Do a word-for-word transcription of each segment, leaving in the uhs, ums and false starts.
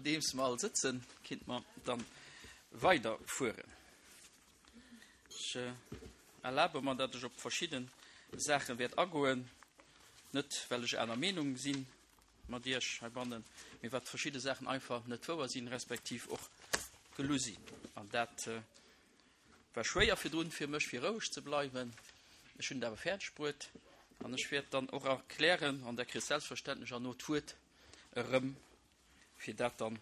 Nodeems mer all sëtzen, kinnt mer dann weiderfueren. Ech erlabe mer, datt ech op verschidde Saache wäert agoen, net well ech aner Meenung si mat Iech heibannen, mee wat verschidde Saachen einfach net wouer sinn, respektiv och gelu sinn. An dat war schwéier virdrun fir mech, fir roueg ze bleiwen. Ech hunn et awer fäerdeg bruet an ech wäert dann och erklären, an Der kritt selbstverständlech herno d'Wuert erëm, fir dat dann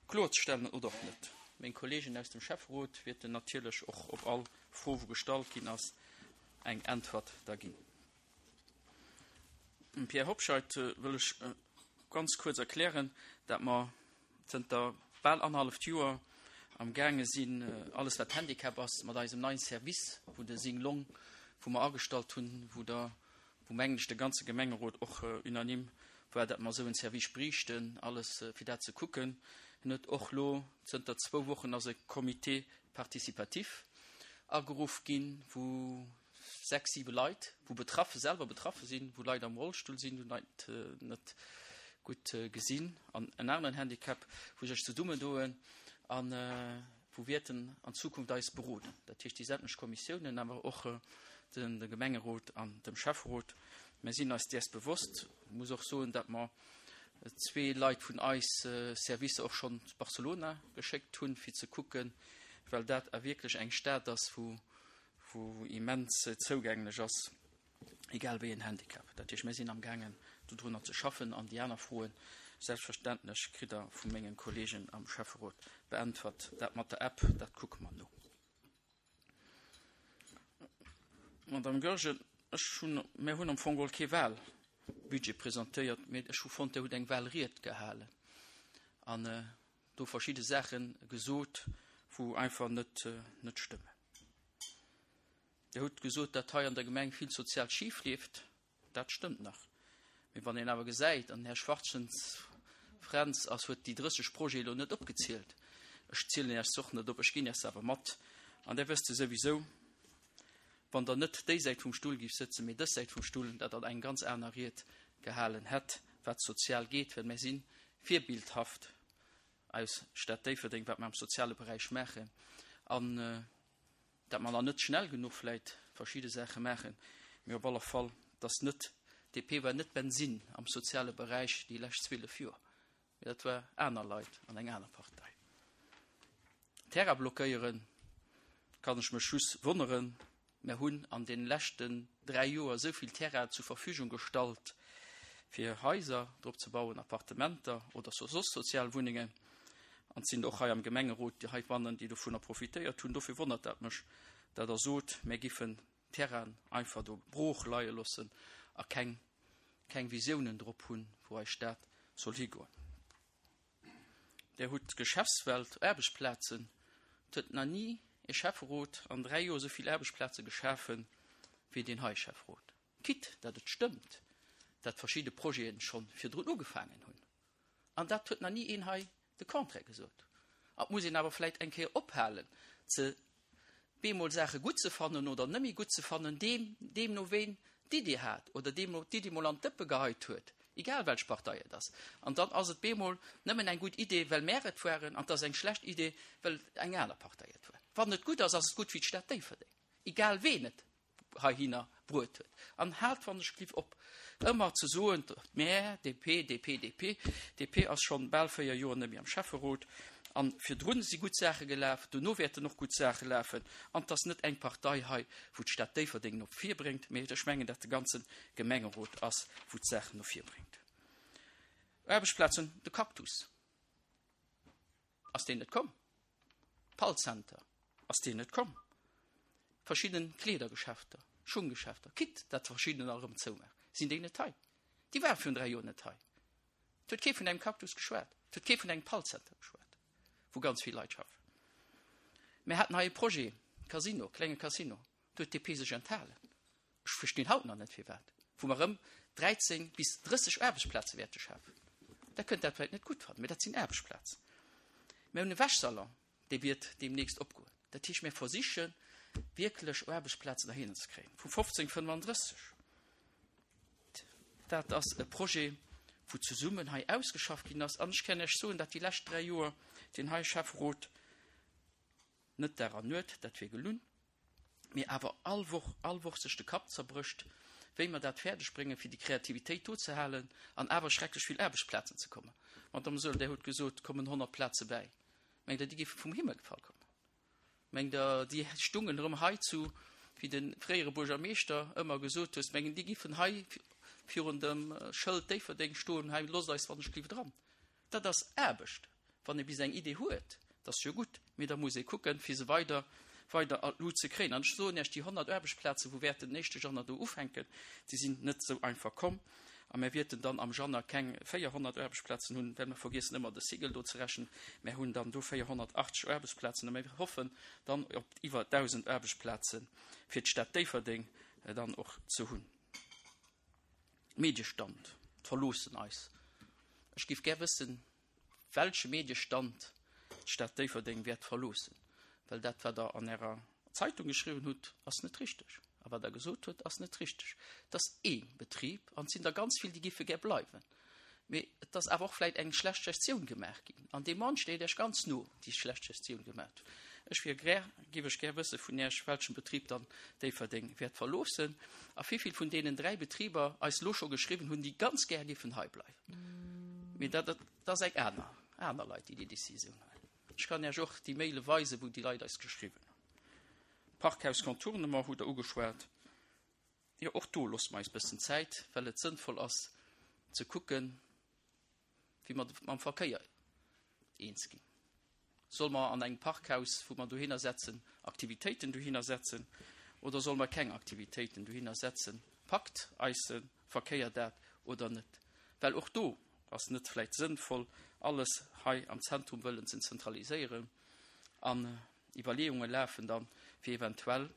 kloerzestellen oder och net. Meng Kollegen aus dem Schäfferot wäerten natierlech och op all Fro, wou gestallt ginn ass, eng Äntwert da ginn. Dem Pierre Hobscheit wëll ech ganz kuerz erklären, dat mer zënter bal annerhalleft Joer am gaange sinn, alles wat Handicap ass, mat eisem neien Service, wou de Sing Long, wou mer agestallt hunn, wou der, wou mengen ech de ganze Gemengerot och unanime war, dat mer esou en Service bräichten, alles fir dat ze kucken. En huet och lo zënter zwou Wochen ass e Comité participatif ageruff ginn, wou sechs, siwe Leit, wou betraffe selwer betraffe sinn, wou Leit am Rollstull sinn, wou Leit net gutt gesinn an en aneren Handicap, wou sech zesummendoen an wou wäerten an Zukunft eis beroden. Dat heescht déi sämtlech Kommissiounen, awer och den de Gemengerot an dem Schäfferot. Mir sinn eis däers bewosst. Ech muss och soen, datt mer zwee Leit vun eis Servicer och schonn Barcelona geschéckt hunn, fir ze kucken, well dat a wierklech eng Stad ass, wou wou immens zougänglech ass, egal wéi en Handicap. Dat heescht, mir sinn amgaangen, dodrunner ze schaffen an déi aner Froen, selbstverständlech, kritt Der vu mengen Kollegen am Schäfferot beäntwert. Dat mat der App, dat kucke mer no. Madame Goergen, ech hunn, mir hunn am Fong geholl kee Wahlbudget presentéiert, mee ech hu fonnt, Der hutt eng Wahlried gehalen an do verschidde Saache gesot, wou einfach net, net stëmmen. Dir hutt gesot, datt hei an der Gemeng vill sozial schif leeft. Dat stëmmt nach. Mee wann een awer gesäit, an den Här Schwachtgens Fränz ass, huet déi drësseg Projete elo net opgezielt, ech zielen Iech se och net op, ech ginn Iech se awer mat, an där wësst Der souwisou, wann Der net déi Säit vum Stull géift sëtzen, mee dës Säit vum Stull, datt Der eng ganz aner Ried gehalen hätt, wat sozial geet, well mir si virbildhaft aus Stad Déifferdeng, wat mer am soziale Beräich maachen. An dat mer nach net schnell genuch vläit verschidde Saache maachen, mee op alle Fall, dass net, d'DP war net Bensinn am soziale Beräich déi lescht zwielef Joer, mee dat war aner Leit an eng aner Partei. Terrain blockéieren, kann ech mech just wonneren. Mer hunn an deene leschten dräi Joer esou vill Terrain zur Verfügung gestallt, fir Haiser drop ze bauen, Appartementer oder soss sozial Wunnengen. An et sinn och hei am Gemengerot déi heibannen, déi dovunner profitéiert hunn. Dofir wonnert dat mech, datt Der sot, mir giffen Terrainen einfach do brooch leie loossen a keng, keng Visiounen drop hunn, wou eis Stad soll higoen. Der hutt d'Geschäftswelt, Aarbechtsplazen, et huet nach ni e Schäfferot an dräi Joer esou vill Aarbechtsplaze geschafe wéi deen hei Schäfferot. Quitte datt et stëmmt, datt verschidde Projete scho virdrun ugefaangen hunn. An dat huet nach ni een hei de Contraire gesot. An et muss een awer vläicht eng Kéier ophalen, ze bemol Saache gutt ze fannen oder net méi gutt ze fannen, deem, deemno ween d'Iddi hat oder deemno d'Iddi mol an d'Dëppe geheit huet, egal welch Partei et ass. An dann ass et bemol nëmmen eng gutt Idee, well mär et waren, an et ass eng schlecht Idee, well eng aner Partei et war. Wann et gutt ass, ass et gutt fir d'Stad Déifferdeng, egal ween et heihinner bruet huet. An haalt wann ech gliff op, ëmmer ze soen, mä D P, D P, D P, D P ass schonn bal véier Joer net méi am Schäfferot. An virdrun si gutt Saache gelaf, dono wäerten och gutt Saache lafen. An et ass net eng Partei hei, wou d'Stad Déifferdeng no vir bréngt, mä ech mengen, datt de ganze Gemengerot ass, wou d'Saachen no vir bréngt. Aarbechtsplazen, de Cactus, ass deen net komm? Pall-Center, ass deen net komm? Verschidden Kleedergeschäfter, Schunggeschäfter, quitte datt verschiddener erëm zoumaachen, sinn déi net hei? Déi ware virun dräi Joer net hei. Et huet kee vun engem Cactus geschwat, et huet kee vun engem Pall-Center geschwat, wou ganz vill Leit schaffen. Mir haten hei e Projet, Casino, klenge Casino, do huet d'D P sech enthalen. Ech verstinn haut nach net firwat, wou mer erëm dräizéng bis drësseg Aarbechtsplaze wäerte schafen. Der kënnt dat vläicht net gutt fannen, mee dat sinn Aarbechtsplazen. Mir hunn e Wäschsalon, dee wiert deemnächst opgoen. Dat heescht, mir versiche wierklech Aarbechtsplazen dohinner ze kréien. Vu fofzéng fënnefandrësseg. Dat ass e Projet, wou zesummen hei ausgeschafft ginn ass. An ech kann Iech soen, datt déi lescht dräi Joer deen hei Schäfferot net Dag an Nuet, dat wier gelunn, mee awer all Woch, all Woch sech de Kapp zerbrécht, wéi mer dat fäerdeg bréngen, fir déi Kreativitéit do ze halen an awer schrecklech vill Aarbechtsplazen ze kommen. Madame Saeul, Dir hutt gesot, et kommen honnert Plaze bäi. Mengt Der, déi géife vum Himmel gefall kommen? Mengt Der, déi stungen erëm hei zu, wéi de fréiere Buergermeeschter ëmmer gesot huet, mengen déi giffen hei virun dem Schëld Déifferdeng stoen, hei loosst eis wann ech bliw dran. Dat ass Aarbecht. Wann ee bis eng Idee huet, dat ass jo gutt, mee da muss ee kucken, fir se weider, weider an d'Lut ze kréien. An ech soen Iech, déi honnert Aarbechtsplazen, wou wäerten den éischte Januar do ufänken, déi sinn net esou einfach komm. A mir wäerten dann am Januar keng véierhonnert Aarbechtsplazen hunn, well mer vergiessen ëmmer de Sigel do ze rechnen. Mir hunn dann do véierhonnertachtzeg Aarbechtsplazen a mir hoffen dann op iwwer dausend Aarbechtsplaze fir d'Stad Déifferdeng dann och ze hunn. Mediestand, d'verloossen eis. Ech géif gär wëssen, welche Mediestand d'Stad Déifferdeng wäert verloossen, well dat, wat Der an Ärer Zeitung geschriwwen hutt, ass net richteg. A wat Der gesot hutt, ass net richteg. Et ass ee Betrib an et sinn der ganz vill, déi géife gär bleiwen. Mee et ass awer och vläicht eng schlecht Gestioun gemaach ginn. An dee Mann steet Iech ganz no, déi schlecht Gestioun gemaach huet. Ech wier gär, géif ech gär wësse vun Iech, welchen Betrib dann Déifferdeng wäert verloossen a wéivill vun deenen dräi Betriber eis elo scho geschriwwen hunn, déi ganz gär géifen hei bleiwen. Mee dat, dat ass eng aner, aner Leit, déi déi Décisioun huelen. Ech kann Iech och déi Maile weisen, wou déi Leit eis geschriwwen hunn. Parkhaus Contournement hutt Der ugeschwat. Jo, och do loosse mer eis bëssen Zäit, well et sënnvoll ass ze kucken, wéi mer mam Verkéier eens ginn. Solle mer an engem Parkhaus, wou mer dohinner setzen, Aktivitéiten dohinner setzen oder solle mer keng Aktivitéiten dohinner setzen? Packt eise Verkéier dat oder net? Well och do ass net vläicht sënnvoll, alles hei am Zentrum wëllen ze zentraliséieren an Iwwerleeunge lafen dann, fir eventuell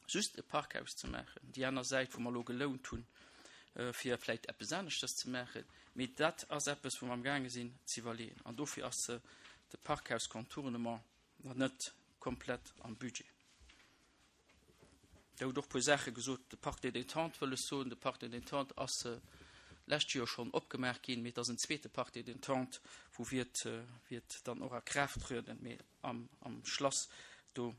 just e Parkhaus ze maachen, déi aner Säit, wou mer elo gelount hunn, fir vläicht eppes aneschters ze maachen. Mee dat ass eppes, wou mer amgaange sinn ze iwwerleeën. An dofir ass de Parkhaus Contournement nach net komplett am Budget. Der hutt och e puer Saache gesot. De Parc des Détentes, wëll ech soen, de Parc des Détentes ass lescht Joer schonn opgemaach ginn, mee et ass en zweete Parc des Détentes, wou wiert, wiert dann och a Kraaft trieden. Mee am, am Schlass, do,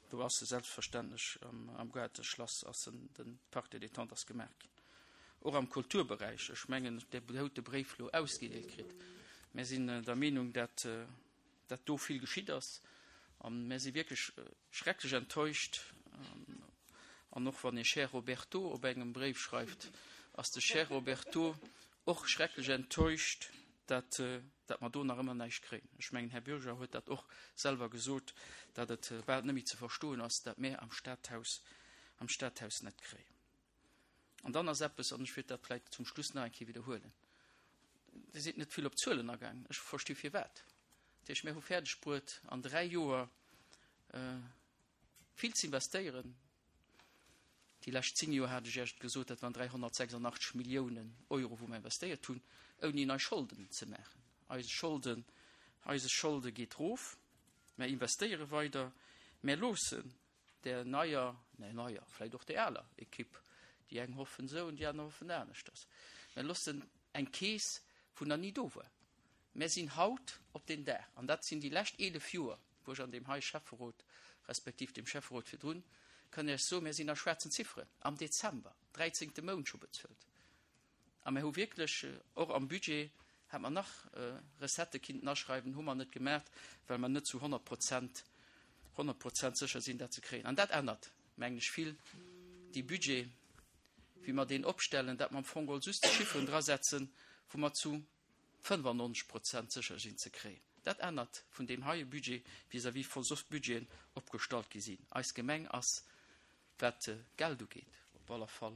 do ass e selbstverständlech, am, am Goarteschlass ass en, den Parc des Détentes ass gemaach ginn. Och am Kulturberäich, ech mengen, Dir hutt de Bréif elo ausgedeelt kritt. Mir sinn der Meenung, dat, dat do vill geschitt ass. A mir si wierklech schrecklech enttäuscht. An och wann ee Cher Roberto op engem Bréif schreift, ass de Cher Roberto och schrecklech enttäuscht, dat, dat mer do nach ëmmer näischt kréien. Ech mengen, Här Bürger huet dat och selwer gesot, dat et bal net méi ze verstoen ass, dat mir am Stadhaus, am Stadhaus net kréien. An dann ass eppes, an ech wéilt dat vläicht zum Schluss nach eng Kéier widderhuelen, Dir sidd net vill op d'Zuelen agaangen, ech versti firwat. Dat heescht, mir hu fäerdeg bruet, an dräi Joer vill ze investéieren. Déi lescht zéng Joer hat ech Iech gesot, dat waren dräihonnertsechsundachtzeg Milliounen Euro, wou mer investéiert hunn, ouni nei Scholden ze maachen. Eise Scholden, eise Scholde geet erof, mer investéiere weider, mer loossen der neier, nee neier, vläicht och der aler Ekipp, déi eng hoffen esou an déi aner hoffen aneschters, mer loossen eng Keess, wou nach ni do war. Mer sinn haut op den Dag, an dat sinn déi lescht eelef Joer, wou ech an deem hei Schäfferot, respektiv deem Schäfferot virdrun, kann ech soen, mir sinn a schwaarzen Zifferen am Dezember, dräizéngte Mount scho bezuelt. A mir hu wierklech och am Budget, hätt mer nach Recettë kinnten aschreiwen, hu mer net gemaach, well mer net zu honnert Prozent, honnert Prozent sécher sinn, dat ze kréien. An dat ännert, mengen ech, vill dee Budget, wéi mer deen opstellen, dat mer am Fong geholl just Chifferen drasetzen, wou mer zu fënnefannonzeg Prozent sécher sinn ze kréien. Dat ännert vun deem heie Budget vis-à-vis vu soss Budgeten opgestallt gi sinn. Eis Gemeng ass, wat Geld ugeet, op aller Fall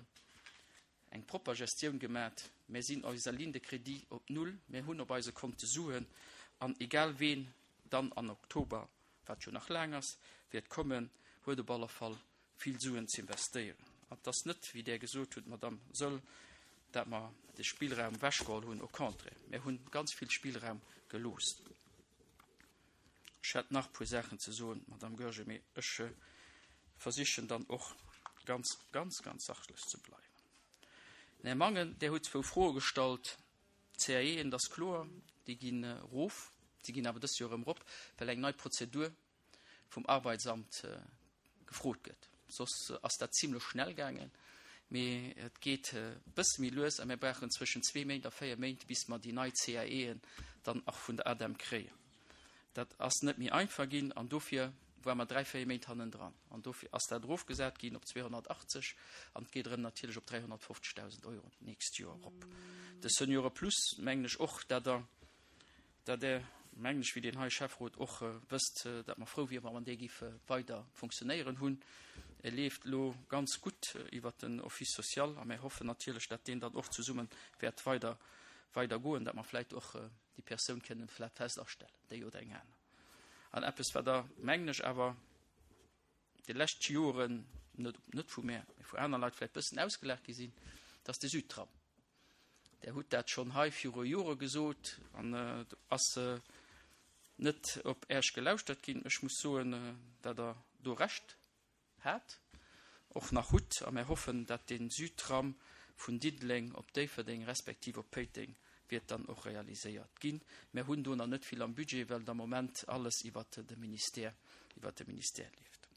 eng propper Gestioun gemat. Mir sinn eiser Ligne de crédit op Null, mir hunn op eise Konte Suen an egal ween dann an Oktober, wat jo nach laang ass, wäert kommen, huet op aller Fall vill Suen ze investéieren. An et ass net, wéi Der gesot hutt, Madame Saeul, dat mer de Spillraum ewechgeholl hunn, au contraire, mir hunn ganz vill Spillraum gelooss. Ech hätt nach e puer Saachen ze soen, Madame Goergen, mee ech versichen dann och ganz, ganz, ganz sachlech ze bleiwen. Den Här Mangen, där huet zwou Froe gestallt C A Eën, dat ass kloer, déi ginn erof, déi ginn awer dëst Joer erëm erop, well eng nei Prozedur vum Arbeitsamt gefrot gëtt. Soss ass dat zimlech schnell gaangen, mee et geet e bësse méi lues a mir brauchen zwëschen zwee Méint a véier Méint, bis mer déi nei C A Eën dann och vun der ADEM kréien. Dat ass net méi einfach ginn an dofir ware mer dräi, véier Méint hannendran. An dofir ass dat erofgesat ginn op zweehonnertachtzeg an et geet erëm natierlech op dräihonnertfofzegdausend Euro d'nächst Joer erop. De Seniore Plus, mengen ech och, dat Der, dat Der, mengen ech, wéi deen hei Schäfferot och wësst, dat mer frou wieren, wann dee géif weider funktionéieren hunn. E leeft elo ganz gutt iwwert den Office social a mir hoffen natierlech, dat deen dann och zesumme wäert weider, weider goen, dat mer vläicht och déi Persoun kënnen vläicht fest astellen, déi oder eng aner. An eppes, wat Der, mengen ech, awer déi lescht Joren, net, net vu mär, mee vu aner Leit vläicht bëssen ausgelaacht gi sinn, dat ass de Südtram. Der hutt dat schonn hei viru Jore gesot an do ass net op Äech gelauschtert ginn. Ech muss soen, dat Der do Recht hat, och nach hutt, a mir hoffen, dat de Südtram vun Diddeleng op Déifferdeng respektiv op Péiteng wäert dann och realiséiert ginn. Mir hunn do nach net vill am Budget, well de Moment alles iwwert de Ministère, iwwert de Ministère leeft.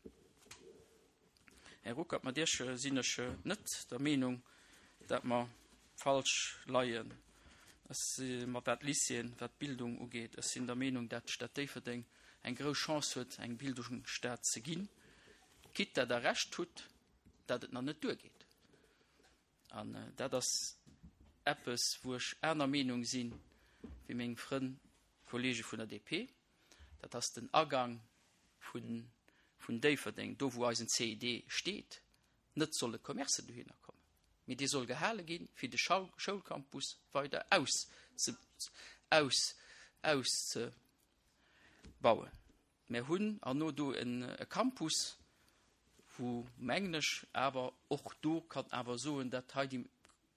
Här Ruckert, mat Iech sinn ech net der Meenung, dat mer falsch leien. Ech si mat wat Lycéeën, wat d'Bildung ugeet, ech sinn der Meenung, dat d'Stad Déifferdeng eng grouss Chance huet, eng Bildungsstad ze ginn, quitte dat Der Recht hutt, dat et nach net duergeet. An dat ass eppes, wou ech aner Meenung sinn wéi meng Frënn, Kollege vun der D P. Dat ass den Agang vun, vun Déifferdeng, do wou eisen C I D steet, net solle Commercen dohinner kommen. Mee dee soll gehale ginn, fir de Schoulcampus weider aus, aus, auszebauen. Mir hunn an no do en e Campus, wou mengen ech awer och do kann awer soen, dat hei déi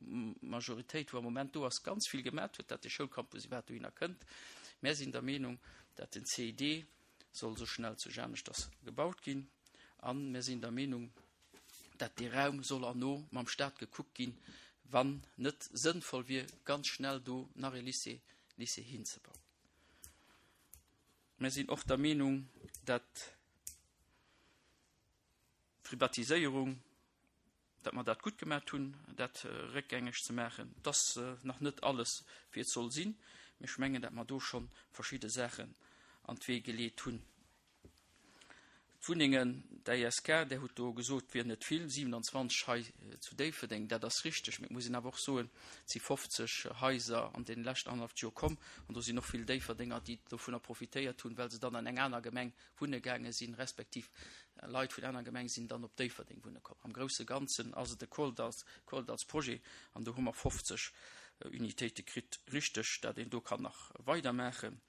Majoritéit, wou am Moment do ass, ganz vill gemat huet, dat de Schoulcampus iwwerhaapt dohinner kënnt. Mär sinn der Meenung, dat den C I D soll sou schnell zu aneschters gebaut ginn an mär sinn der Meenung, dat dee Raum soll erno mam Staat gekuckt ginn, wann net sënnvoll wier, ganz schnell do nach e Lycée, Lycée hinzebauen. Mär sinn och der Meenung, dat Privatiséierung, dat mer dat gutt gemat hunn, dat réckgängeg ze maachen, dass nach net alles wéi et soll sinn. Mee ech mengen, dat mer do schonn verschidde Saachen an d'Wee geleet hunn. D'Wunnengen, d'A I S K, där hutt do gesot, wier net vill, siewenanzwanzeg hei zu Déifferdeng, dat ass richteg, mee et muss een awer och soen, et si fofzeg Haiser an deene leschten annerhalleft Joer komm an do sinn och vill Déifferdenger, déi dovunner profitéiert hunn, well se dann an eng aner Gemeng wunne gaange sinn, respektiv Leit vun aner Gemeng sinn dann op Déifferdeng wunne komm. Am grousse Ganzen ass et e Koldarsprojet an do hu mer fofzeg Unitéite kritt. Richteg, dat een do kann nach weidermaachen,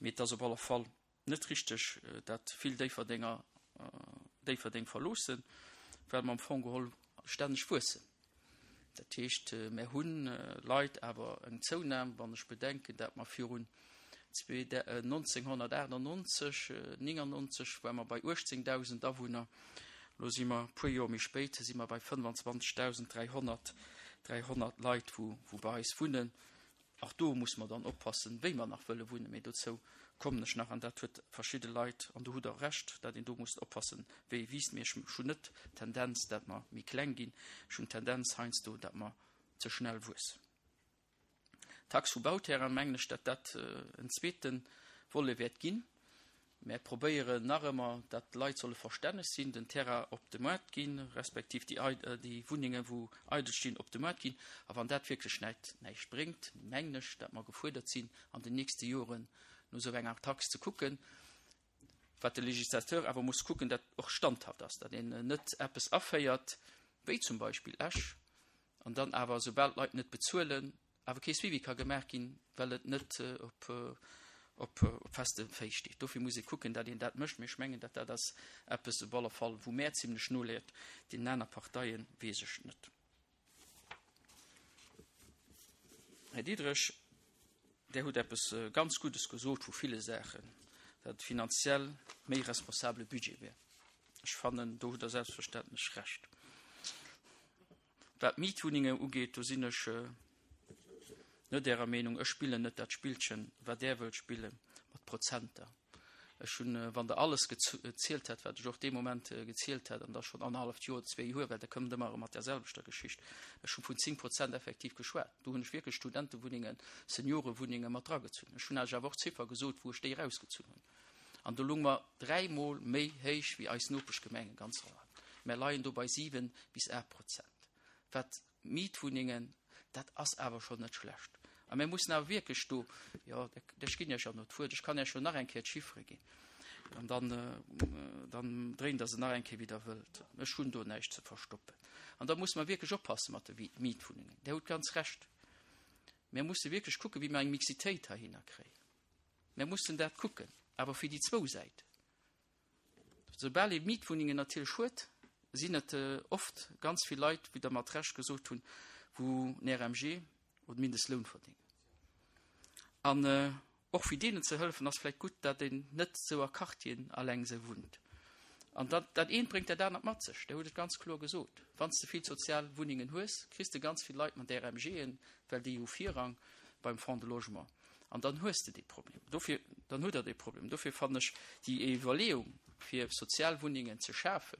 mee et ass op alle Fall net richteg, dat vill Déifferdenger Déifferdeng verloossen, well mer am Fong geholl stänneg wuessen. Dat heescht, mir hunn Leit awer eng Zounam, wann ech bedenken, dat mer virun nonzénghonnertaachtannonzeg, néngannonzeg ware mer bei uechtzéngdausend Awunner, elo si mer e puer Joer méi spéit, si mer bei fënnefanzwanzegdausend dräihonnert, dräihonnert Leit, wou, wou bei eis wunnen. Och do muss mer dann oppassen, wéi mer nach wëlle wunnen, mee dozou kommen ech nach an dat huet verschidde Leit an do hutt Der Recht, dat een do muss oppassen, wéi wiisst. Mee ech hunn net d'Tendenz, dat mer méi kleng ginn, ech hunn d'Tendenz heiansdo, dat mer ze schnell wuessen. Tax vu Bauterrain, mengen ech, dat dat en zweete Volet wäert ginn. Mär probéieren nach ëmmer, dat d'Leit solle verstänneg sinn, den Terrain op de Moart ginn, respektiv déi, déi Wunnengen, wou eidel stinn, op de Moart ginn. A wann dat wierklech näit, näischt bréngt, mengen ech, dat mer gefuerdert sinn, an den nächste Joren no esou enger Tax ze kucken. Wat de Legislateur awer muss kucken, dat och standhaft ass, dat een net eppes aféiert, wéi zum Beispill Esch, an dann awer, soubal d'Leit net bezuelen, awer kee Suivi ka gemaach ginn, well et net op, op, op feste Féiss steet. Dofir muss ee kucken, dat een dat mécht. Mee ech mengen, dat dat ass eppes op alle Fall, wou mär zimlech noleet, deenen aner Parteien weess ech net. Här Diderich, Där hutt eppes ganz Guddes gesot vu ville Saachen, dat et finanziell méi responsabele Budget wär. Ech fannen, do hutt Der selbstverständlech Recht. Wat d'Mietwunnenge ugeet, do sinn ech net därer Meenung. Ech spillen net dat Spillchen, wat Der wëllt spille mat Prozenter. Ech hunn, wann Der alles gezielt hätt, wat ech och dee Moment gezielt hätt, an dat schonn annerhalleft Joer, zwee Joer, well Der kommt ëmmer erëm mat där selwechter Geschicht, ech hu vun zéng Prozent effektiv geschwat. Do hunn ech wierklech Studentewunnengen, Seniorewunnenge mat dragezunn. Ech hunn lech awer och d'Ziffer gesot, wou ech déi erausgezunn hunn. An do lounge mer dräimol méi héich wéi eis Nopeschgemengen ganz am Land. Mer leien do bei siwe bis aacht Prozent. Wat Mietwunnengen, dat ass awer schonn net schlecht. A mir mussen awer wierklech do, jo, ech ginn Iech jo nach d'Wuert, ech kann Iech jo nach eng Kéier d'Chiffere ginn, an dann, dann dréint Der se nach eng Kéier, wéi Der wëllt. Ech hunn do näischt ze verstoppen. An da musse mer wierklech oppasse mat de Mietwunnengen. Dir hutt ganz Recht. Mir musse wierklech kucken, wéi mer eng Mixitéit heihinner kréien. Mir mussen dat kucken, awer fir déi zwou Säiten. Soubal ee Mietwunnengen natierlech huet, sinn et oft ganz vill Leit, wéi Der mat Recht gesot hunn, wou en R M G oder Mindestloun verdéngen. An och fir deenen ze hëllefen, ass vläicht gutt, datt een net esou a Quartieren alleng esou wunnt. An dat, dat eent bréngt dat anert mat sech. Der hutt et ganz kloer gesot. Wann s de vill sozial Wunnengen hues, kriss de ganz vill Leit mat R M Gen, well déi hu Virrang beim Fonds de Logement. An dann hues de dee Problem. Dofir, dann hutt Der dee Problem. Dofir fannen ech déi Iwwerleeung, fir sozial Wunnengen ze schafen,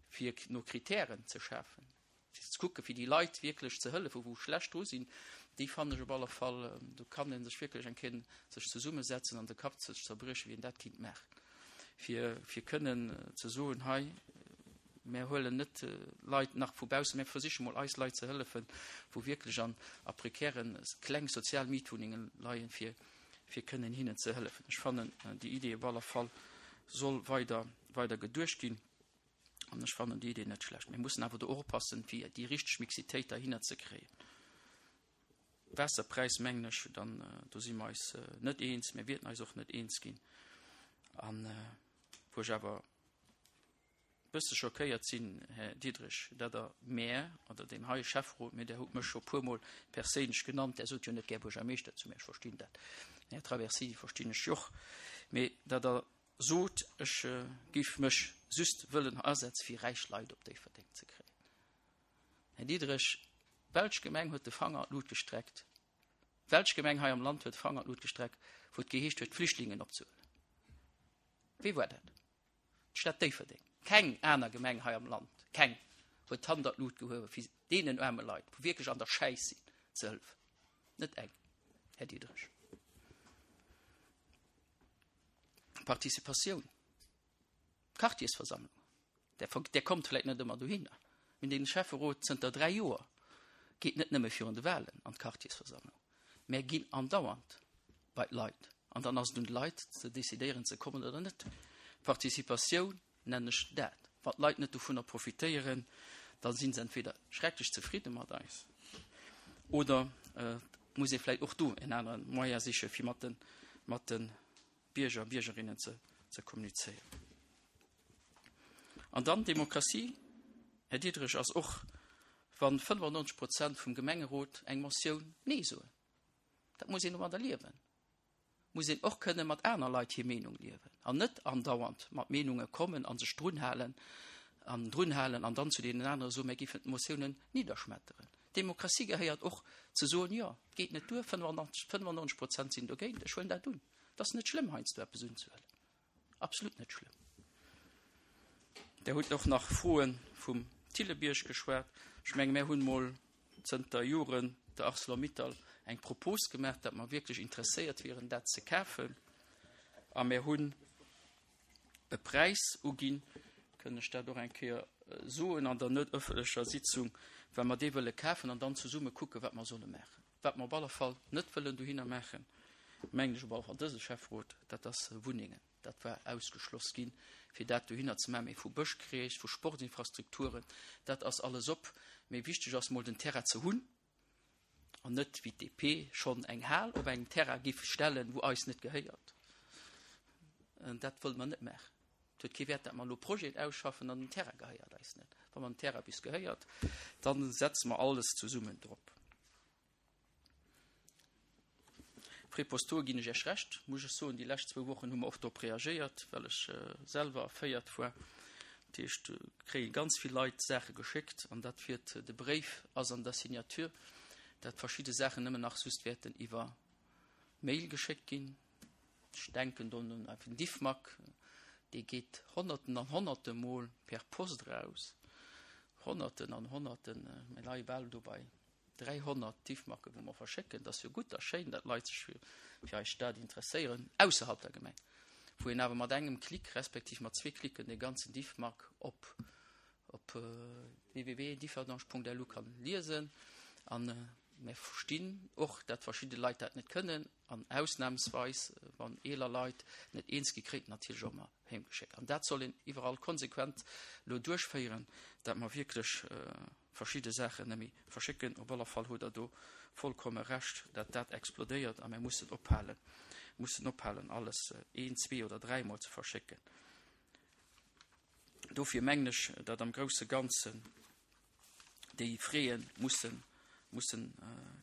fir no Kritären ze schafen, fir ze kucken, fir déi Leit wierklech ze hëllefen, wou schlecht dru sinn, déi fannen ech op alle Fall, do kann ee sech wierklech eng Kéier sech zesummesetzen an de Kapp sech zerbriechen, wéi een dat kinnt maachen, fir, fir kënnen ze soen, hei, mär huelen net Leit nach vu baussen, mär versiche mol eis Leit ze hëllefen, wou wierklech an a prekären kleng sozial Mietwunnenge leien, fir, fir kënnen hinnen ze hëllefen. Ech fannen, déi Idee op alle Fall soll weider, weider geduecht ginn. An ech fannen déi Idee net schlecht. Mir mussen awer do och oppassen, fir déi richteg Mixitéit derhinner ze kréien. Waasserpräis, mengen ech, dann do si mer eis net eens, mir wäerten eis och net eens ginn. An wou ech awer e bësse schockéiert sinn, Här Diderich, datt Der mär oder deem heie Schäfferot, mee Der hutt mech scho puermol perséinlech genannt, Der sot jo net gär Buergermeeschter zu mir, ech verstinn dat, Här Traversini verstinn ech jo och, mee datt Der sot, ech géif mech just wëllen asetze fir räich Leit op Déifferdeng ze kréien. Här Diderich, welch Gemeng huet de Fanger an d'Lut gestreckt? Welch Gemeng hei am Land huet de Fanger an d'Lut gestreckt, wou et geheescht huet, d'Flüchtlingen opzehuelen? Wie war dat? D'Stad Déifferdeng. Keng aner Gemeng hei am Land, keng, huet d'Hand an d'Lut gehuewen, fir deenen aarme Leit, wou wierklech an der Schäiss sinn, ze hëllefen. Net eng, Här Diderich. Participatioun, Quartiersversammlung, der, der kommt vläicht net ëmmer dohinner, mee den Schäfferot zënter dräi Joer geet net nëmme virun de Wahlen an d'Quartiersversammlung, mä ginn andauernd bei d'Leit. An dann ass et un de Leit ze decidéieren ze kommen oder net. Participatioun nennen ech dat. Wann d'Leit net dovunner profitéieren, da sinn se entweder schrecklech zefridde mat eis oder et muss ee vläicht och do en anere Moyen siche fir mat de, mat de Bierger a Biergerinnen ze, ze kommunizéieren. An dann Demokratie, Här Diderich, ass och, wann fënnefannonzeg Prozent vum Gemengerot eng Motioun Nee soen. Dat muss een domadder liewen. Muss een och kënne mat aner Leit hir Meenung liewen an net andauernd mat Meenunge kommen a sech drunhalen an drunhalen an dann zu deenen anere soen, mir géifen d'Motiounen nidderschmetteren. Demokratie gehéiert och ze soen, jo, et geet net duer, fënnefannonzeg Prozent sinn dogéint, ech huelen dat un. Et ass net schlëmm, heiansdo eppes unzehuelen. Absolut net schlëmm. Der hutt och nach Froe vum Thillebierg geschwat. Ech menge mir hunn mol zënter Joren der Arcelor-Mittal eng Propos gemaach, datt mer wierklech interesséiert wieren, dat ze kafen. A mir hunn e Präis uginn, kënn ech dat och eng Kéier soen an der net ëffentlecher Sitzung, well mer dee wëlle kafen an dann zesumme kucken, wat mer solle maachen. Wat mer op alle Fall net wëllen dohinner maachen, mengen ech op alle Fall dëse Schäfferot, dat ass Wunnengen. Dat war ausgeschloss ginn, fir dat dohinner ze maachen. Mee vu Bëschkreech, vu Sportinfrastrukturen, dat ass alles op. Mee wichteg ass mol den Terrain ze hunn an net wéi d'D P schonn eng Hal op engem Terrain giff stellen, wou eis net gehéiert. Dat wëlle mer net maachen. Et huet kee Wäert, datt mer elo Projeten ausschaffen an den Terrain gehéiert eis net. Wa mer den Terrain bis gehéiert, da setze mer alles zesummen drop. Frais postaux ginn ech Iech Recht, muss ech soen. Déi lescht zwou Wochen hu mer och drop reagéiert, well ech selwer erféiert war. Dat heescht, do kréie ganz vill Leit Saache geschéckt an dat wiert, de Bréif ass an der Signature. dat verschidde Saachen nëmmen nach just wäerten iwwer Mail geschéckt ginn. Ech denken do un den Diffmag, dee geet Honnerten an Honnerte Mol per Post eraus. Honnerten an Honnerten, mir leie bal do bei dräihonnert Diffmagge wou mer verschécken. Dat ass jo gutt a schéin, datt Leit sech fir, fir eis Stad interesséieren, ausserhalb der Gemeng, wou een awer mat engem Klick respektiv mat zwee Klicken dee ganzen Diffmag op op www.differdange.lu kann liesen. An mir verstinn och, datt verschidde Leit dat net kënnen an ausnahmsweis, wann eeler Leit net eens gi kréien, natierlech och mar heemgeschéckt. An dat soll een iwwerall konsequent elo duerchféieren, datt mer wierklech verschidde Saachen net méi verschécken. Op alle Fall hutt Der do vollkomme Recht, datt dat explodéiert a mir mussen ophalen, mussen ophalen, alles een, zwee oder dräimol ze verschécken. Dofir mengen ech, datt am grousse Ganzen déi Fräe mussen, mussen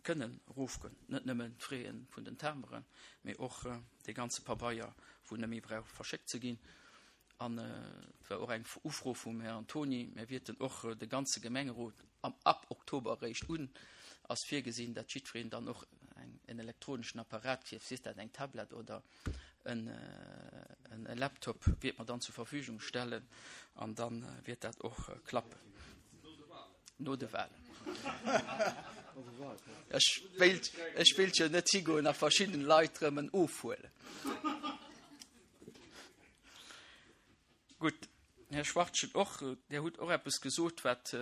kënnen erofgoen. Net nëmmen d'Fräe vun den Timberen, mee och dee ganze Pabeier, wou net méi brauch verschéckt ze ginn. An et war och eng Ufro vum Här Antoni, mir wierten och de ganze Gemengerot am, ab Oktober eréischt un ass virgesinn, datt jiddwereen dann och eng, en elektroneschen Apparat kritt, sief dat eng Tablett oder en, en Laptop, wiert mer dann zur Verfügung stellen an dann wiert dat och klappen. No de Wahlen. Ech wéilt, ech wéilt jo net higoen a verschidden Leit rëm en ofhuelen. Gutt, Här Schwachtgen, och Dir hutt och eppes gesot, wat,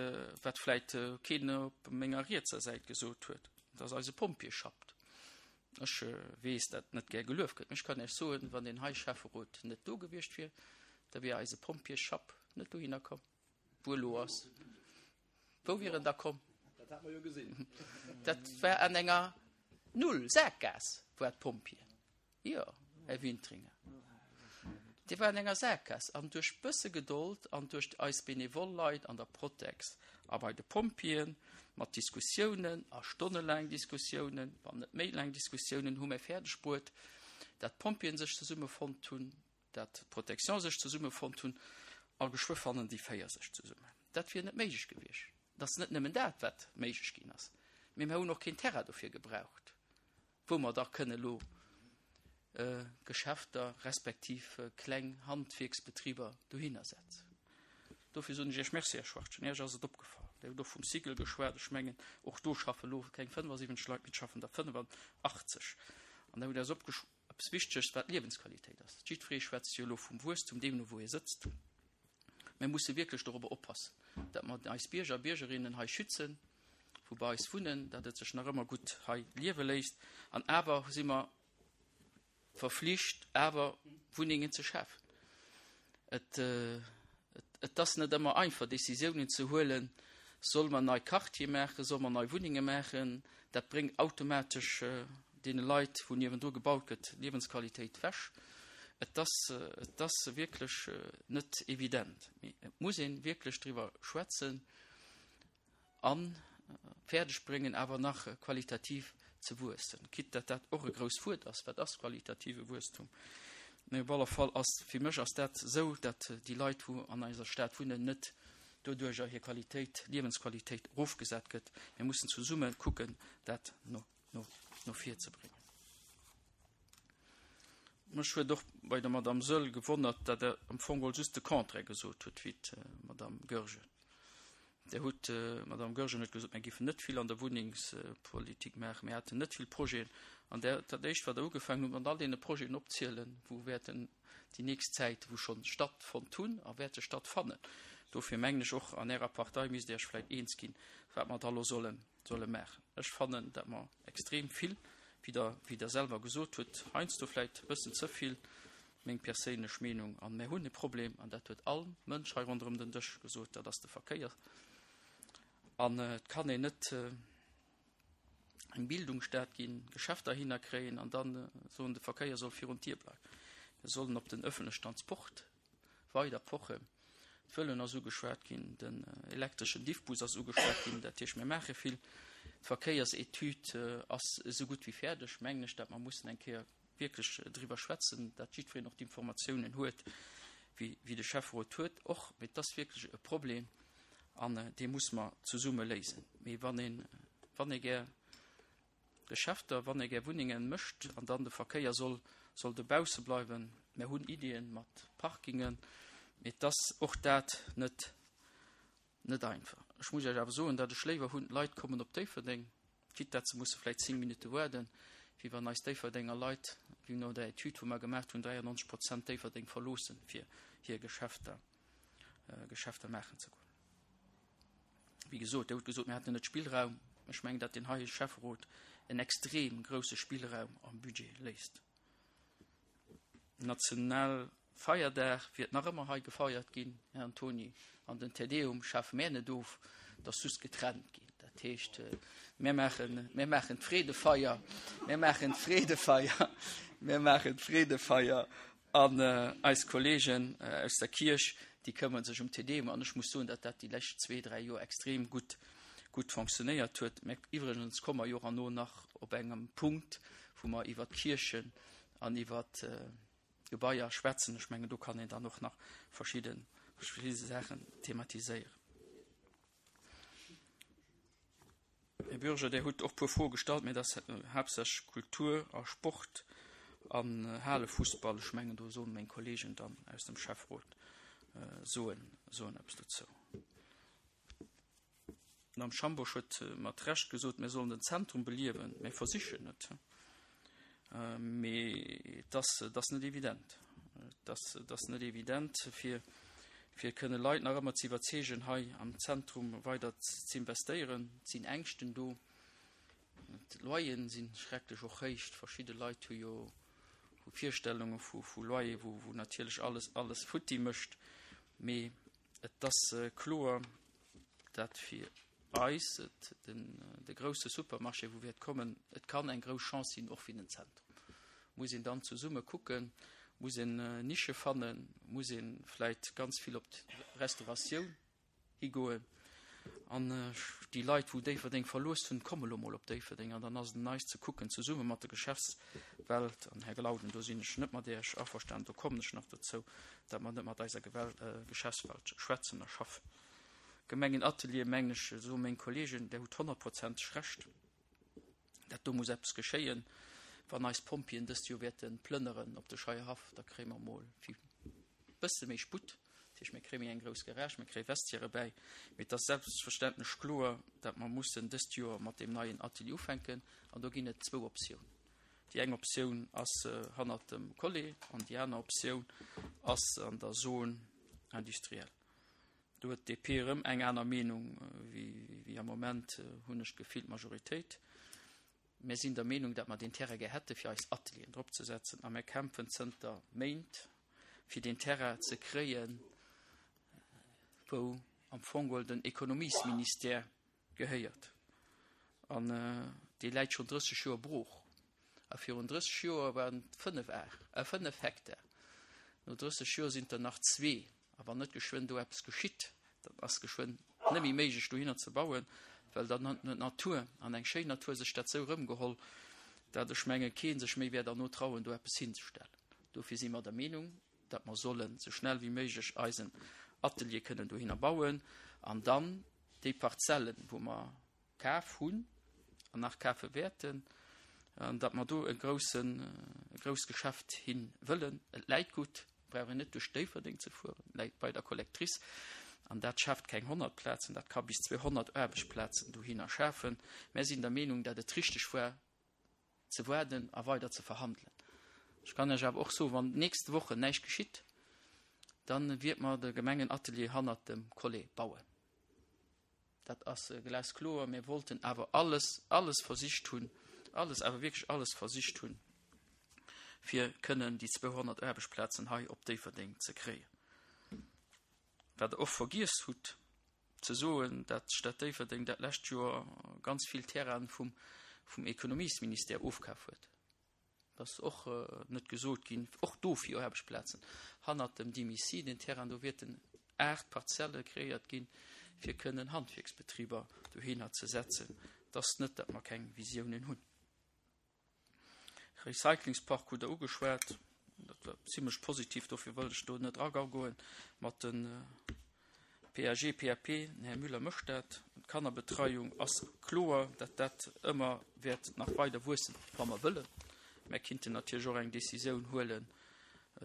wat vläicht keen op menger rietser Säit gesot huet, dat ass eise Pompjeeschapt. Ech weess, dat net gär gelueft gëtt, mee ech kann Iech soen, wann deen hei Schäfferot net do gewiescht wier, da wier eise Pompjeesschapp net dohinner komm, wou e lo ass. Wou wier en da komm? Dat hat mer jo gesinn. Dat war an enger Null Saakgaass, war d'Pompjeeën. Jo, Här Wintringer. Déi war an enger Saakgaass. An duerch bësse Gedold an duerch eis benevol Leit an der Protex a bei de Pompjeeën, mat Diskussiounen a stonnelaang Diskussiounen, wann net méi laang Diskussiounen, hu mir fäerdeg bruet, dat d'Pompjeeën sech zesummefonnt hunn, dat d'Protection sech zesummefonnt hunn a geschwë fannen déi véier sech zesummen. Dat wier net méiglech gewiescht. Et ass net nëmmen dat, wat méiglech ginn ass, mee mir hunn och keen Terrain dofir gebraucht, wou mer da kënne elo Geschäfter respektiv kleng Handwierksbetriber dohinner setzen. Dofir soen ech Iech Merci, Här Schwachtgen. Iech ass et opgefall. Dir hutt och vum Cycle geschwat. Ech mengen, och do schaffe elo keng fënnefasiwwenzeg Leit, mee et schaffen der fënnefachtzeg. An da hutt Dir eis opgesch. Eppes Wichteges, wat d'Liewensqualitéit ass. Jiddweree schwätzt jo elo vum Wuesstum, deemno wou ee sëtzt. Mir musse wierklech dorobber oppassen, datt mer eis Bierger a Biergerinnen hei schützen, wou bei eis wunnen, datt et sech nach ëmmer gutt hei liewe léisst. An awer si mer verflicht, awer Wunnengen ze schafen. Et, et ass net ëmmer einfach, Décisiounen ze huelen, Solle mer nei Quartiere maachen, solle mer nei Wunnenge maachen? Dat bréngt automatesch deene Leit, wou niewendru gebaut gëtt, Liewensqualitéit wech. Et ass, et ass wierklech net evident. Mee et muss ee wierklech driwwer schwätzen a fäerdeg bréngen, awer nach qualitativ ze wuessen. Quitte datt dat och e grousst Wuert ass, wat ass qualitative Wuesstum? Mee op alle Fall ass, fir mech ass dat esou, datt déi Leit, wou an eiser Stad wunnen, net doduerjer hir Qualitéit, Liewensqualitéit erofgesat gëtt. Mir mussen zesumme kucken, dat no, no, no vir ze bréngen. Mech huet och bei der Madame Soehl gewonnert, datt Der am Fong geholl just de Contraire gesot hutt wéi d'Madame Goergen. Dir hutt, d'Madame Goergen huet gesot, mir géifen net vill an der Wunnengspolitik maachen, mir hätten net vill Projeten. An der, dat Éischt, wat Der ugefaangen hutt, mat all deene Projeten opzielen, wou wäerten déi nächst Zäit, wou schonn stattfonnt hunn a wäerte stattfannen. Dofir mengen ech, och an Ärer Partei misst Dir Iech vläicht eens ginn, wat mer da elo solle, solle maachen. Ech fannen, datt mer extrem vill, wéi Der, wéi Der selwer gesot hutt, heiansdo vläicht e bëssen ze vill, meng perséinlech Meenung, an mir hunn e Problem, an dat huet all Mënsch hei ronderëm den Dësch gesot, dat ass de Verkéier. An et kann een net eng Bildungsstad ginn, Geschäfter hinner kréien an dann soen, de Verkéier soll virun d'Dier bleiwen. Mir sollen op den öffentlechen Transport weider pochen. D'Vëloen ass ugeschwat ginn, den elektreschen Diffbus ass ugeschwat ginn. Dat heescht, mir maache vill. D'Verkéiersetüd ass esou gutt wéi fäerdeg, mengen ech, dat mer mussen eng Kéier wierklech driwwer schwätzen, dat jiddwereen och d'Informatiounen huet, wéi, wéi de Schäfferot huet och. Mee et ass wierklech e Problem an dee muss mer zesumme léisen. Mee wann een, wann ee gär Geschäfter, wann ee gär Wunnenge mécht an dann de Verkéier soll, soll dobausse bleiwen. Mir hunn Iddien mat Parkingen, mee et ass och dat net, net einfach. Ech muss Iech awer soen, datt ech léiwer hunn, d'Leit kommen op Déifferdeng, quitte datt se musse vläicht zéng Minutte waarden, wéi wann eis Déifferdenger Leit, wéi no der Etüd, wou mer gemaach hunn, dräiannonzeg Prozent Déifferdeng verloossen, fir hir Geschäfter, Geschäfter maachen ze goen. Wéi gesot, Dir hutt gesot, mir hätten net Spillraum. Ech mengen, datt deen heie Schäfferot en extrem grouse Spillraum am Budget léisst. National Feierdag wiert nach ëmmer hei gefeiert ginn, Här Antony, an den Te Deum schafe mär net of, et ass just getrennt ginn. Dat heescht, mär maachen, mär maachen d'Freedefeier, mär maachen d'Freedefeier, mär maachen d'Freedefeier an eis Kollegen aus der Kierch, déi këmmere sech um Te Deum. An ech muss soen, datt dat déi lescht zwee, dräi Joer extrem gutt, gutt fonctionnéiert huet. Mä iwwregens komme mer jo och herno nach op engem Punkt, wou mer iwwert d'Kierchen an iwwert Gebaier schwätzen. Ech mengen, do kann een dann och nach verschidde, verschidde Saachen thematiséieren. Här Bürger, Dir hutt och e puer Froe gestallt, mä dat ass haaptsächlech Kultur a Sport an Halefussball. Ech mengen, do soen meng Kollegen dann aus dem Schäfferot soen, soen eppes dozou. D'Madame Schambourg huet mat Recht gesot, mir sollen den Zentrum beliewen. Mir versichen et, mee et ass, et ass net evident. Et ass, et ass net evident, fir, fir kënne Leit nach ëmmer ze iwwerzeegen, hei am Zentrum weider z'investéieren. Et sinn Ängschten do. D'Loyeren si schrecklech och héich. Verschidde Leit hu jo hu Virstellunge vu, vu Loyer, wou, wou natierlech alles, alles futti mécht. Mee et ass kloer, dat fir eis et den, de grousse Supermarché, wou wäert kommen, et kann eng grouss Chance sinn, och fir den Zentrum. Muss een dann zesumme kucken, muss een Nische fannen, muss ee vläicht ganz vill op d'Restauratioun higoen. An déi Leit, wou Déifferdeng verlooss hunn, komme lo mol op Déifferdeng. An dann ass et un eis ze kucken, zesumme mat der Geschäftswelt, an Här Glauden, do sinn ech net mat Iech averstanen, do kommen ech nach dozou, datt mer net mat eiser Geschäftswelt schwätzen a schaffen. Gemengenatelier, mengen ech, soe meng Kollegen, Där hutt honnertprozenteg Recht, dat do muss eppes geschéien. Wann eis Pompjeeën dëst Joer wäerte plënneren op de Scheierhaff, da kréie mer emol e bësse méi Sputt. Dat heescht, mir kréie méi eng grouss Garage, mir kréie Vestiairë bäi. Mee et ass selbstverständlech kloer, datt mer mussen dëst Joer mat deem neien Atelier ufänken. An do ginn et zwou Optiounen. Déi eng Optioun ass hannert dem Collet an déi aner Optioun ass an der Zone industrielle. Do huet d'D P erëm eng aner Meenung wéi am Moment, hunn ech d'Gefill, d'Majoritéit. Mir sinn der Meenung, datt mer deen Terrain gär hätte fir eis Atelieren drop ze setzen a mir kämpfen zënter Méint fir deen Terrain ze kréien, wou am Fong geholl den Ekonomiesministère gehéiert. An dee läit schonn drësseg Joer brooch. A virun drësseg Joer waren et fënnef Ar, äh, fënnef Hektar. No drësseg Joer sinn et der nach zwee. A wann net geschwënn do eppes geschitt, dann ass geschwënn net méi méiglech dohinner ze bauen, well dann huet d'Natur, an eng schéin Natur, sech dat sou erëmgeholl, dat ech menge kee sech méi wäert derno trauen, do eppes hinzestellen. Dofir si mer der Meenung, datt mer sollen sou schnell wéi méiglech eisen Atelier kënnen dohinner bauen an dann déi Parzellen, wou mer kaf hunn an nach kafe wäerten, datt mer do e groussen, e grousst Geschäft hi wëllen. Et läit gutt, brauch een net duerch Déifferdeng ze fueren, et läit bei der Collectrice an dat schaaft keng honnert Plazen, dat ka bis zweehonnert Aarbechtsplazen dohinner schafen. Mär sinn der Meenung, datt et richteg war ze waarden a weider ze verhandelen. Ech kann Iech awer och soen, wann d'nächst Wochen näischt geschitt, da wiert mer de Gemengenatelier hannert dem Collet bauen. Dat ass glaskloer. Mir wollten awer alles, alles versicht hunn, alles, awer wierklech alles versicht hunn, fir kënnen déi zweehonnert Aarbechtsplazen hei op Déifferdeng ze kréien. Wat Der och vergiess hutt ze soen, dat d'Stad Déifferdeng dat lescht Joer ganz vill Terrainen vum, vum Ekonomiesministère ofkaf huet. Dat ass och net gesot ginn. Och dofir Aarbechtsplazen. Hannert dem Dimici, den Terrain, do wäerten aacht Parzelle kreéiert ginn, fir kënnen Handwierksbetriber dohinner ze setzen. Et ass net, datt mer keng Visiounen hunn. Recyclingspark hutt Der ugeschwat. Dat war zimlech positiv, dofir wëllt ech do net eragoen mat de P A G, P A P, den Här Müller mécht dat. D'Kannerbetreiung ass kloer, datt dat ëmmer wäert nach weider wuessen, wa mer wëllen. Mer kinnten natierlech och eng Decisioun huelen,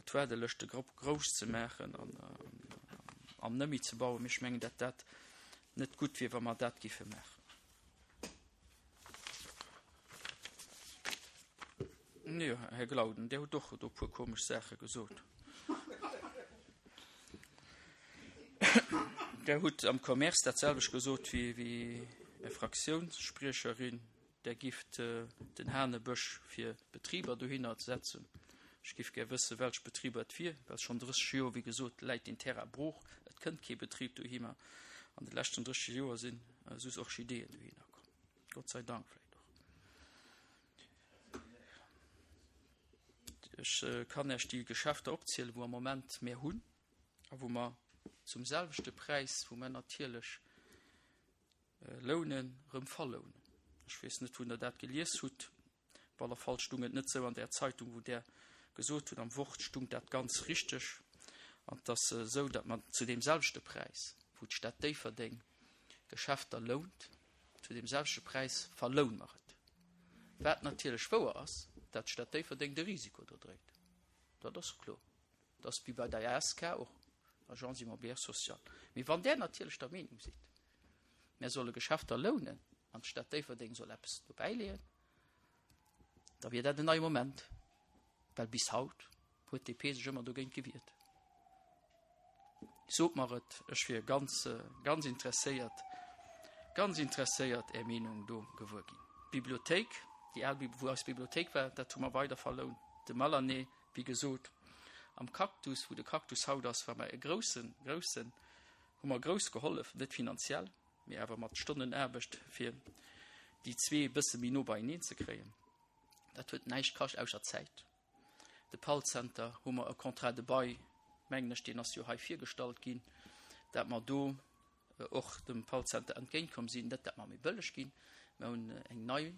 d'Waardelëschte grouss ze maachen an an net méi ze bauen. Mee ech mengen, datt dat net gutt wier, wa mer dat géife maachen. Jo, Här Glauden, Dir hutt och do e puer komesch Saache gesot. Der hutt am Commerce dat selwecht gesot wéi Är Fraktiounsspriecherin. Der gifft den Hanebësch fir Betriber dohinner setzen. Ech giff gär wëssen, welch Betriber et wier, well schonn drësseg Joer, wéi gesot, läit deen Terrain brooch. Et kënnt kee Betrib dohinner. An de leschten drësseg Joer sinn soss Orchideeën dohinner komm. Gott sei Dank vläicht och. Ech kann Iech déi Geschäfter opzielen, wou am Moment mär hunn a wou mer zum selwechte Präis, wou mer natierlech lounen, erëm verlounen. Ech weess net, wou Der dat gelies hutt. Op alle Fall stung et net sou an där Zeitung, wou Der gesot hutt. Am Wort stung dat ganz richteg. An et ass esou, datt mer zu deem selwechte Präis, wou d'Stad Déifferdeng Geschäfter lount, zu deem selwechte Präis verloune mer et. Wat natierlech wouer ass, datt d'Stad Déifferdeng de Risiko do dréit. Dat ass kloer. Dat ass wéi bei der A S K och, Agence immobilière sociale. Mee wann Der natierlech der Meenung sidd, Mär solle Geschäfter lounen an d'Stad Déifferdeng soll eppes dobäileeën, da wier dat en neie Moment, well bis haut huet D P sech ëmmer dogéint gewiert. Sot mer et, ech wier ganz, ganz interesséiert, ganz interesséiert, Är Meenung do gewuer ginn. D'Bibliothéik, déi al, wou eis Bibliothéik war, dat hu mer weider verlount. De Malané, wéi gesot, am Cactus, wou de Cactus haut ass, war mer e groussen, groussen, hu mer grouss gehollef, net finanziell, mee awer mat Stonnen Aarbecht, fir déi zwee e bësse méi no beieneen ze kréien. Dat huet näischt kascht ausser Zäit. De Pall-Center hu mer e Contrat de bail, mengen ech, deen ass jo hei virgestallt ginn, dat mer do och dem Pall-Center entgéintkomm sinn, net dat mer méi bëlleg ginn, mer hunn eng nei,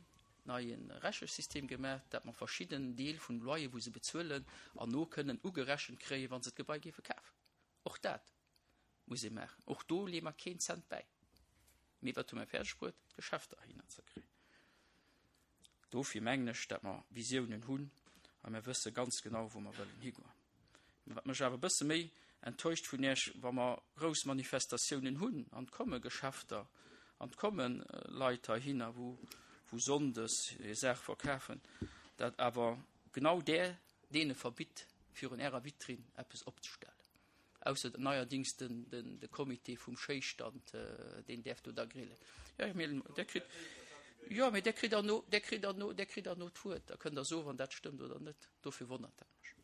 neie Rechesystem gemaach, dat mer verschidden Deel vun Loyer, wou se bezuelen, erno kënnen ugerechent kréien, wa se d'Gebai géife kafen. Och dat muss ee maachen. Och do leeë mer keen Cent bäi. Mee wat hu mer fäerdeg bruet? D'Geschäfter heihinner ze kréien. Dofir mengen ech, datt mer Visiounen hunn a mer wësse ganz genau, wou mer wëllen higoen. Mä wat mech awer e bësse méi enttäuscht vun Iech, wa mer grouss Manifestatiounen hunn an et komme Geschäfter an et komme Leit heihinner, wou, wou sonndes hir Saach verkafen, datt awer genau där deene verbitt, virun Ärer Vitrinn eppes opzestellen. Ausser neierdings den, den, de Comité vum Schéistand, deen däerf do da grillen. Jo, mee der kritt, jo, mee der kritt derno, der kritt derno, der kritt derno d'Wuert. Da kënnt Der soen, wann dat stëmmt oder net. Dofir wonnert dat mech.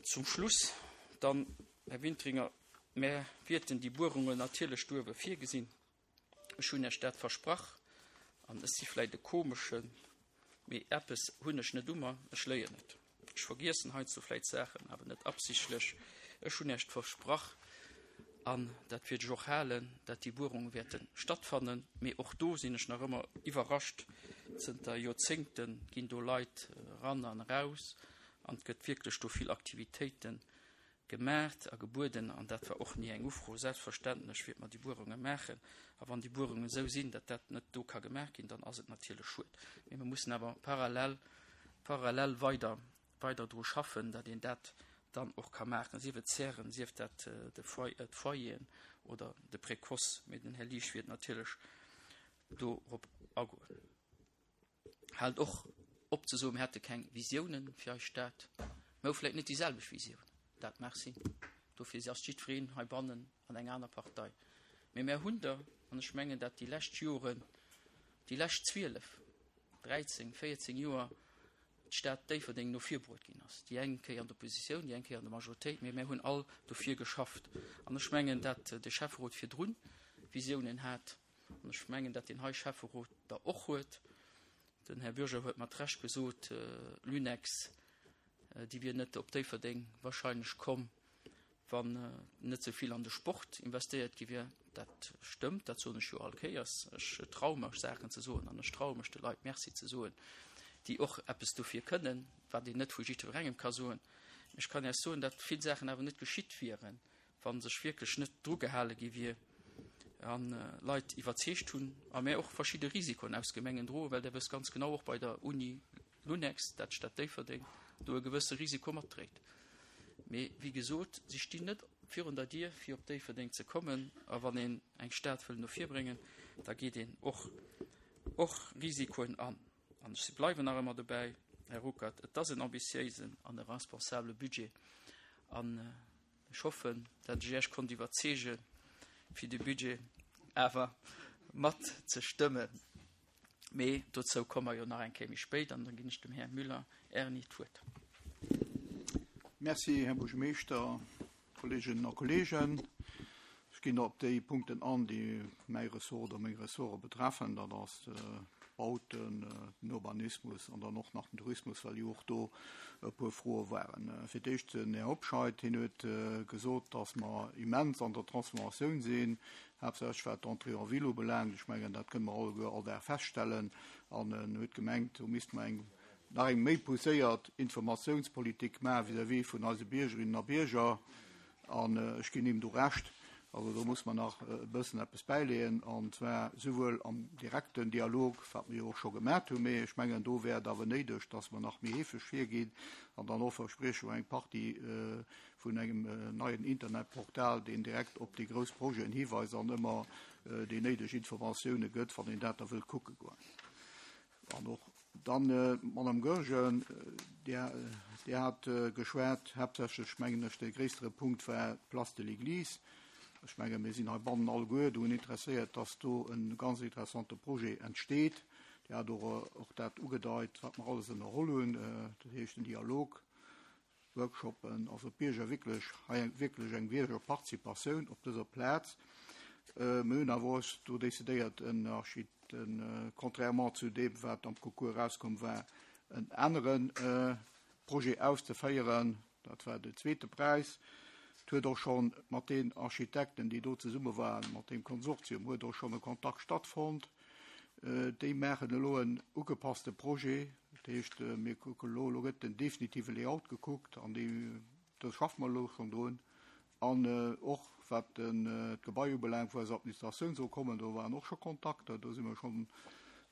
Zum Schluss dann, Här Wintringer, mär wierten déi Buerungen natierlech duerwe virgesinn. Ech hunn Iech dat versprach an ech si vläicht e komeschen, mee eppes hunn ech net u mer, ech léien net. Ech vergiessen heiansdo vläicht Saachen, awer net absichtlech. Ech hunn Iech versprach, an dat wäert ech och halen, dat déi Buerunge wäerte stattfannen. Mee och do sinn ech nach ëmmer iwwerrascht, Zënter Joerzéngte ginn do Leit eran an eraus an et gëtt wierklech do vill Aktivitéite gemaacht a gebueden. An dat war och ni eng Ufro. Selbstverständlech wäerte mer déi Buerunge maachen. A wann déi Buerungen esou sinn, datt dat net do ka gemaach ginn, dann ass et natierlech schued. Mee mer mussen awer parallel, parallel weider, weider dru schaffen, datt een dat dann och ka maachen, sief et d'Zären, sief dat de Foyer, d'Foyeren oder de Précoce. Mee den Här Liesch wäert natierlech dorop agoen. Haalt och op ze soen, mir hätte keng Visiounen fir eis Stad. Mir hu vläicht net déi selwecht Visioun, dat mag sinn. Dofir ass jiddwereen heibannen an eng aner Partei. Mee mär hunn der, an ech mengen, dat déi lescht Joren, déi lescht zwielef, dräizéng, véierzéng Joer d'Stad Déifferdeng no vir bruet ginn ass, déi eng Kéier an der Oppositioun, déi eng Kéier an der Majoritéit, mee mär hunn all dofir geschafft. An ech mengen, dat de Schäfferot virdrun Visiounen hat, an ech mengen, dat deen hei Schäfferot der och huet. Den Här Bürger huet mat Recht gesot, Lunex, déi wier net op Déifferdeng wahrscheinlech komm, wann net esou vill an de Sport investéiert gi wier. Dat stëmmt, dat soen ech jo all Kéiers. Ech traue mech, Saachen ze soen an ech traue mech, de Leit Merci ze soen, déi och eppes dofir kënnen, wat een net vu jiddwerengem ka soen. Ech kann Iech soen, datt vill Saachen awer net geschitt wieren, wa sech wierklech net dru gehale gi wier an Leit iwwerzeegt hunn a mär och verschidde Risikoen aus Gemengen droen, well Der wësst ganz genau och bei der Uni Lunex, dat d'Stad Déifferdeng do e gewësse Risiko matdréit. Mee wéi gesot, si stinn net virun der Dier, fir op Déifferdeng ze kommen. A wann een eng Stad wëll no vir bréngen, da geet een och och Risikoen an. An ech bleiwen nach ëmmer dobäi, Här Ruckert, et ass en ambitiéisen an e responsabele Budget. An ech hoffen, datt ech Iech konnt iwwerzeegen, fir de Budget awer mat ze stëmmen. Mee dozou komme mer jo nach eng Kéier méi spéit an da ginn ech dem Här Müller Erni d'Wuert. Merci, Här Buergermeeschter, Kolleeginnen a Kolleegen. Ech ginn op déi Punkten an, déi mäi Ressort oder meng Ressorte betreffen. Dat ass d'Bauten, den Urbanismus an dann och nach den Tourismus, well jo och do e puer Froe waren. Fir d'éischt den Här Hobscheit, hien huet gesot, dass mer immens an der Transformatioun sinn, haaptsächlech wat d'Entrée en ville ubelaangt. Ech mengen, dat kënne mer alleguer all Dag feststellen. An en huet gemengt, do misste mer eng nach eng méi pousséiert Informatiounspolitik maache vis-à-vis vun eise Biergerinnen a Bierger. An ech ginn him do Recht. Also do muss mer nach e bëssen eppes bäileeën, an zwar souwuel am direkten Dialog, wat mer jo och scho gemat hunn, mee ech mengen, do wär et awer néideg, dass mer nach méi heefeg virginn an dann och versprieche mer eng Partie vun engem neien Internetportal, deen direkt op déi grouss Projeten hiweist an ëmmer déi néideg Informatioune gëtt, wann een dat da wëllt kucke goen. An och dann, Madame Goergen, Dir, Dir hat geschwat, haaptsächlech, mengen ech, dee gréissere Punkt war d'Place de l'Église. Ech menge mir sinn heibannen alleguer drun interesséiert, dass do e ganz interessante Projet entsteet. Dir hat och, och dat ugedeit, wat mer alles ënnerholl hunn, dat heescht den Dialog, Workshoppen, also d'Bierger wierklech, hei eng, wierklech eng Biergerparticipatioun op dëser Plaz. Mir hunn awer och do decidéiert, en Archit, en, contrairement zu deem, wat am Concours erauskomm war, en anere Projet auszeféieren. Dat war den zweete Präis. Et huet och scho mat den Architekten, déi do zesumme waren, mat deem Konsortium, huet och schonn e Kontakt stattfonnt. Déi maachen elo en ugepasste Projet. Dat heescht, mir kucken elo, elo gëtt den definitive Layout gekuckt an déi, do schaffe mer elo schonn drun. An och wat d'Gebai ubelaangt, wou eis Administratioun soll kommen, do waren och scho Kontakter, do si mer schonn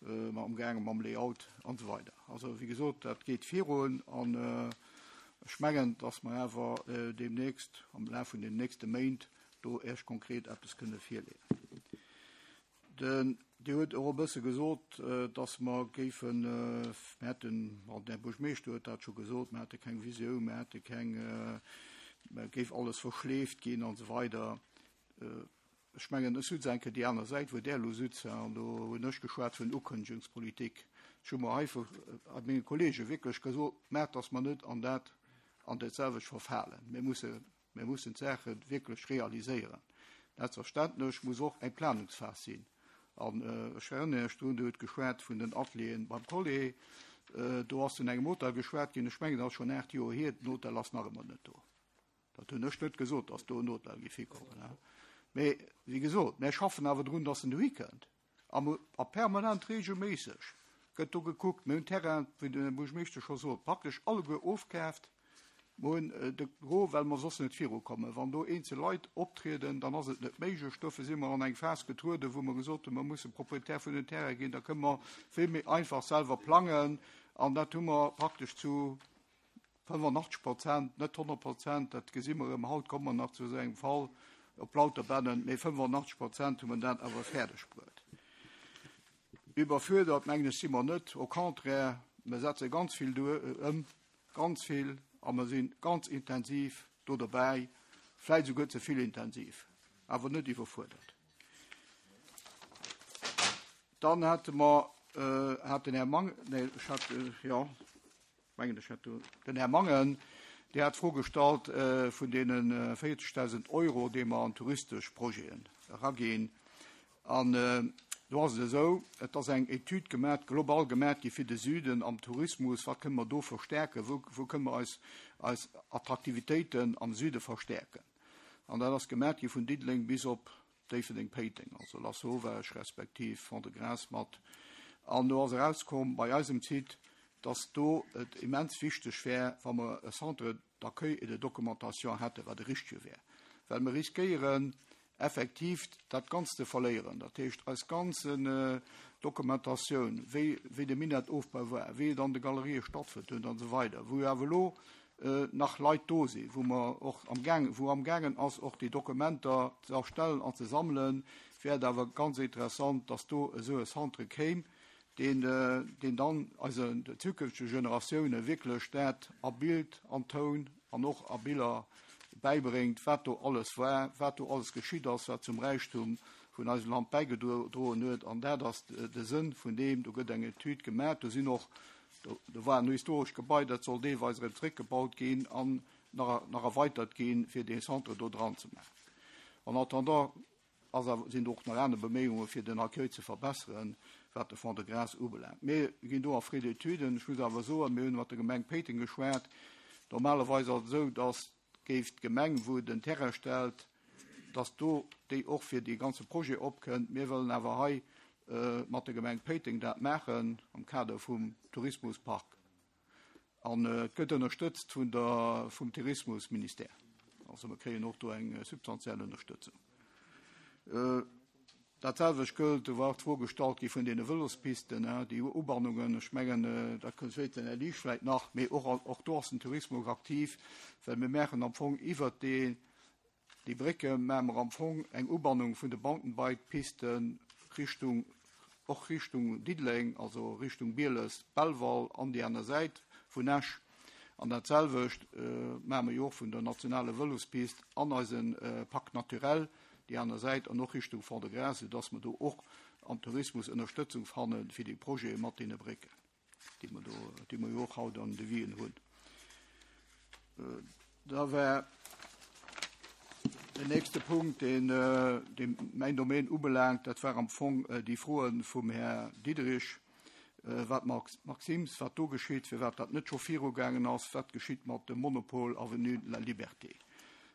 amgaange mam Layout an esou weider. Also wéi gesot, dat geet virun an ech mengen, dass mer awer deemnächst, am Laf vun den nächste Méint, do Iech konkret eppes kënne virleeën. Den, Dir hutt och e bësse gesot, dass mer géifen, mer hätten, bon, den Här Buergermeeschter huet dat scho gesot, mer hätte keng Visioun, mer hätte keng, mer géif alles verschleeft ginn an esou weider. Ech mengen, ech sutz eng Kéier déi aner Säit, wou Der elo sutzt, an do hunn ech geschwat vun Ukënnegungspolitik. Ech hu mer hei vu menge Kollege wierklech gesot, Maacht, dass mer net an dat, an dat selwecht verfalen. Mir musse, mir mussen d'Saache wierklech realiséieren. Selbstverständlech muss och eng Planungsphas sinn. An ech erënnere Iech drun, Dir hutt geschwat vun den Atelieren beim Collet. Do ass vun engem Hotel geschwat ginn. Ech mengen, dat ass schonn aacht Joer hier. Den Hotel ass nach ëmmer net do. Dat hunn ech net gesot, dass do en Hotel géif hikommen. Mee wéi gesot, mir schaffen awer drun, dass en dohi kënnt. A permanent, reegelméisseg gëtt do gekuckt. Mir hunn Terrain, wéi den Här Buergermeeschter scho sot, praktesch alleguer ofkaaft. Mer hunn de Gros, well mer soss net virukommen. Wann do eenzel Leit optrieden, dann ass et net méiglech. Dofir si mer an eng Phas getrueden, wou mer gesot hunn, mer musse Proprietär vun den Terraine ginn, da kënne mer vill méi einfach selwer plangen. An dat hu mer praktesch zu fënnefenachtzeg Prozent, net honnert Prozent, dat gesi mer erëm, haut komme mer nach zu esou engem Fall op Lauterbännen, mee fënnefenachtzeg Prozent hu mer dat awer fäerdeg bruet. Iwwerfuerdert, mengen ech, si mer net. Au contraire, mer setze ganz vill ëm, ganz vill, a mer si ganz intensiv do dobäi, vläicht esouguer ze vill intensiv, awer net iwwerfuerdert. Dann hate mer, hat den Här Mang, nee, ech hat, jo, mengen ech hat do den Här Mangen, Dir hat d'Fro gestallt vun deene véierzegdausend Euro, déi mer an touristesch Projeten eraginn. An do ass et esou, et ass eng Etüd gemat, global gemat gi fir de Süden am Tourismus. Wat kënne mer do verstärken? Wou, wou kënne mer eis, eis Attraktivitéiten am Süde verstärken? An dat ass gemat gi vun Diddeleng bis op Déifferdeng-Péiteng, also Lasauvage respektiv Fond-de-Gras mat. An do ass erauskomm bei eisem Site, dass do et immens wichteg wär, wa mer e Centre d'accueil et de documentation hätten, wat e richtege wär. Well mir riskéieren, effektiv dat Ganzt ze verléieren. Dat heescht, eis ganz äh, Dokumentatioun, wéi, wéi de Minettofbau war, wéi et an de Galerië stattfonnt huet an esou weider, wou awer elo äh, nach Leit do sinn, wou mer och am Gaang, wou am gaangen ass, och déi Dokumenter ze erstellen an ze sammelen, wär et awer ganz interessant, dass do esou e Centre kéim, deen, äh, deen dann also de zukünftege Generatioune wierklech dat a Bild, an Toun an och a Biller bäibréngt, wat do alles war, wat do alles geschitt ass, wat zum Räichtum vun eisem Land bäigedroen huet. An dat ass de Sënn vun deem, do gëtt eng Etüd gemaach, do sinn och, do, do war en historescht Gebai, dat soll deelweis erëm zréckgebaut ginn an nach, nach erweitert ginn, fir dee Centre do dran ze maachen. En attendant ass, sinn och nach aner Beméiunge fir den Accueil ze verbesseren, wat de Fond-de-Gras ubelaangt. Mir ginn do a Frais-d'études, ech muss awer soen, mir hunn mat der Gemeng Péiteng geschwat, normalerweis ass et esou, dass géif d'Gemeng, wou den Terrain stellt, dass do déi och fir dee ganze Projet opkënnt. Mir wëllen awer hei äh, mat der Gemeng Péiteng dat maachen am Kader vum Tourismuspark. An äh, et gëtt ënnerstëtzt vun der, vum Tourismusministère. Also mir kréien och do eng äh, substantiell Ënnerstëtzung. Äh, dat selwecht gëllt, do war d'Fro gestallt gi vun deene Vëlospisten, déi Ubannungen, ech mengen, äh, dat kënnt später den Här Liesch vläicht nach, mee och, och do ass den Tourismus aktiv, well mir maachen am Fong iwwer déi, déi Brécke maache mer am Fong eng Ubannung vun de Mountainbike-Pisten Richtung, och Richtung Diddeleng, also Richtung Bieles, Belval an déi aner Säit vun Esch. An dat selwecht äh, maache mer jo och vun der nationale Vëlospist an eisen äh, Parc naturel, déi aner Säit an och Richtung Fond-de-Gras, dass mer do och am Tourismus Ënnerstëtzung fanne fir déi Projete mat deene Brécken, déi mer do, déi mer jo och haut an de Devisen hunn. Äh, da war den nächste Punkt, deen, äh, deen mäin Domaine ubelaangt, dat war am Fong äh, déi Froen vum Här Diderich, äh, wat Max, Maxims, wat do geschitt, firwat dat net scho virugaangen ass, wat geschitt mat dem Monopol Avenue de la Liberté.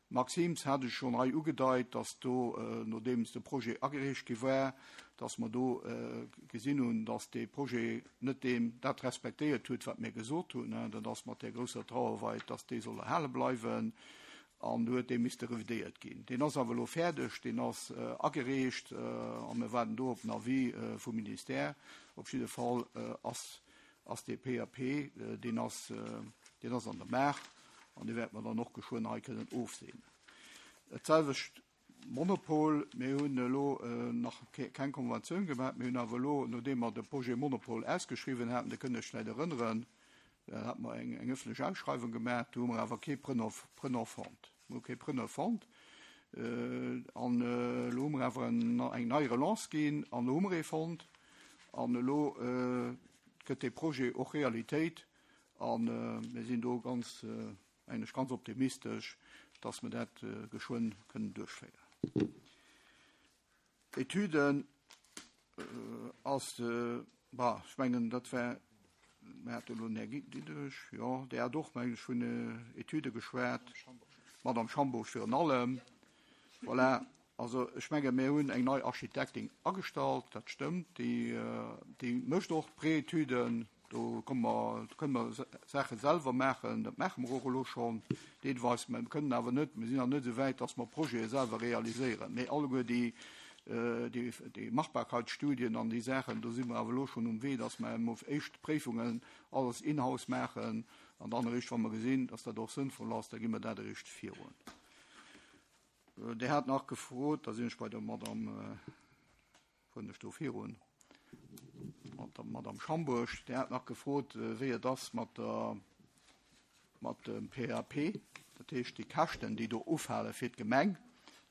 Maxims hat ech schonn hei ugedeit, dass do, äh, nodeems de Projet agereecht gi war, dass mer do äh, gesinn hunn, dass de Projet net deem dat respektéiert huet, wat mir gesot hunn, ne, dat ass mat der grousser Trauerweid, dass dee soll erhale bleiwen, an do huet dee misste revidéiert ginn. Deen ass awer elo fäerdeg, deen ass äh, agereecht, äh, a mir waarden do op den Avis äh, vum Ministère. Op jidde Fall äh, ass, ass de P A P, äh, deen ass, äh, deen ass an der Maach, an dee wäerte mer dann och geschwënn hei kënnen ofseenen. Dat selwecht Monopol, mir hunn elo äh, nach keng Konventioun gemaach, mir hunn awer elo, nodeem mer de Projet Monopol ausgeschriwwen haten, do kënnt Iech vläicht erënneren, da hate mer eng, eng ëffentlech Ausschreiwung gemaach, do hu mer awer kee Preneur, Preneur fonnt. Mir hu kee Preneur fonnt. Äh, an äh, elo hu mer awer eng, eng nei Relance ginn, an elo hu mer ee fonnt, an elo äh, gëtt de Projet och Realitéit, an äh, mir sinn do ganz, äh, eigentlech ganz optimistesch, dass mer dat äh, geschwënn kënnen duerchféieren. Etüden äh, ass, äh, bah, ech mengen, dat war, mir hate elo den Här Diderich, jo, deen hat och mengen ech vun äh, Etüde geschwat, Madame Schambourg virun allem. Voilà. Also ech menge mir hunn eng nei Architektin agestallt, dat stëmmt, déi, äh, déi mécht och Préetüden, do kënne mer, do kënne mer Saache selwer maachen, dat maache mer och elo schonn, deelweis, mir kënnen awer net, mir sinn nach net esou wäit, dass mer Projete selwer realiséieren. Mee alleguer déi, äh, déi, déi Machbarkeitsstudien an déi Saachen, do si mer awer elo schonn um Wee, dass mer emol éischt Préifungen alles in-house maachen, an dann eréischt, wa mer gesinn, dass dat och sënnvoll ass, da gi mer dat eréischt virun. Äh, Dir hat nach gefrot, da sinn ech bei der Madame äh, vun der do virun, mat der Madame Schambourg, déi hat nach gefrot, äh, wéi et ass mat der mat dem P A P, dat heescht déi Käschten, déi do ufale fir d'Gemeng.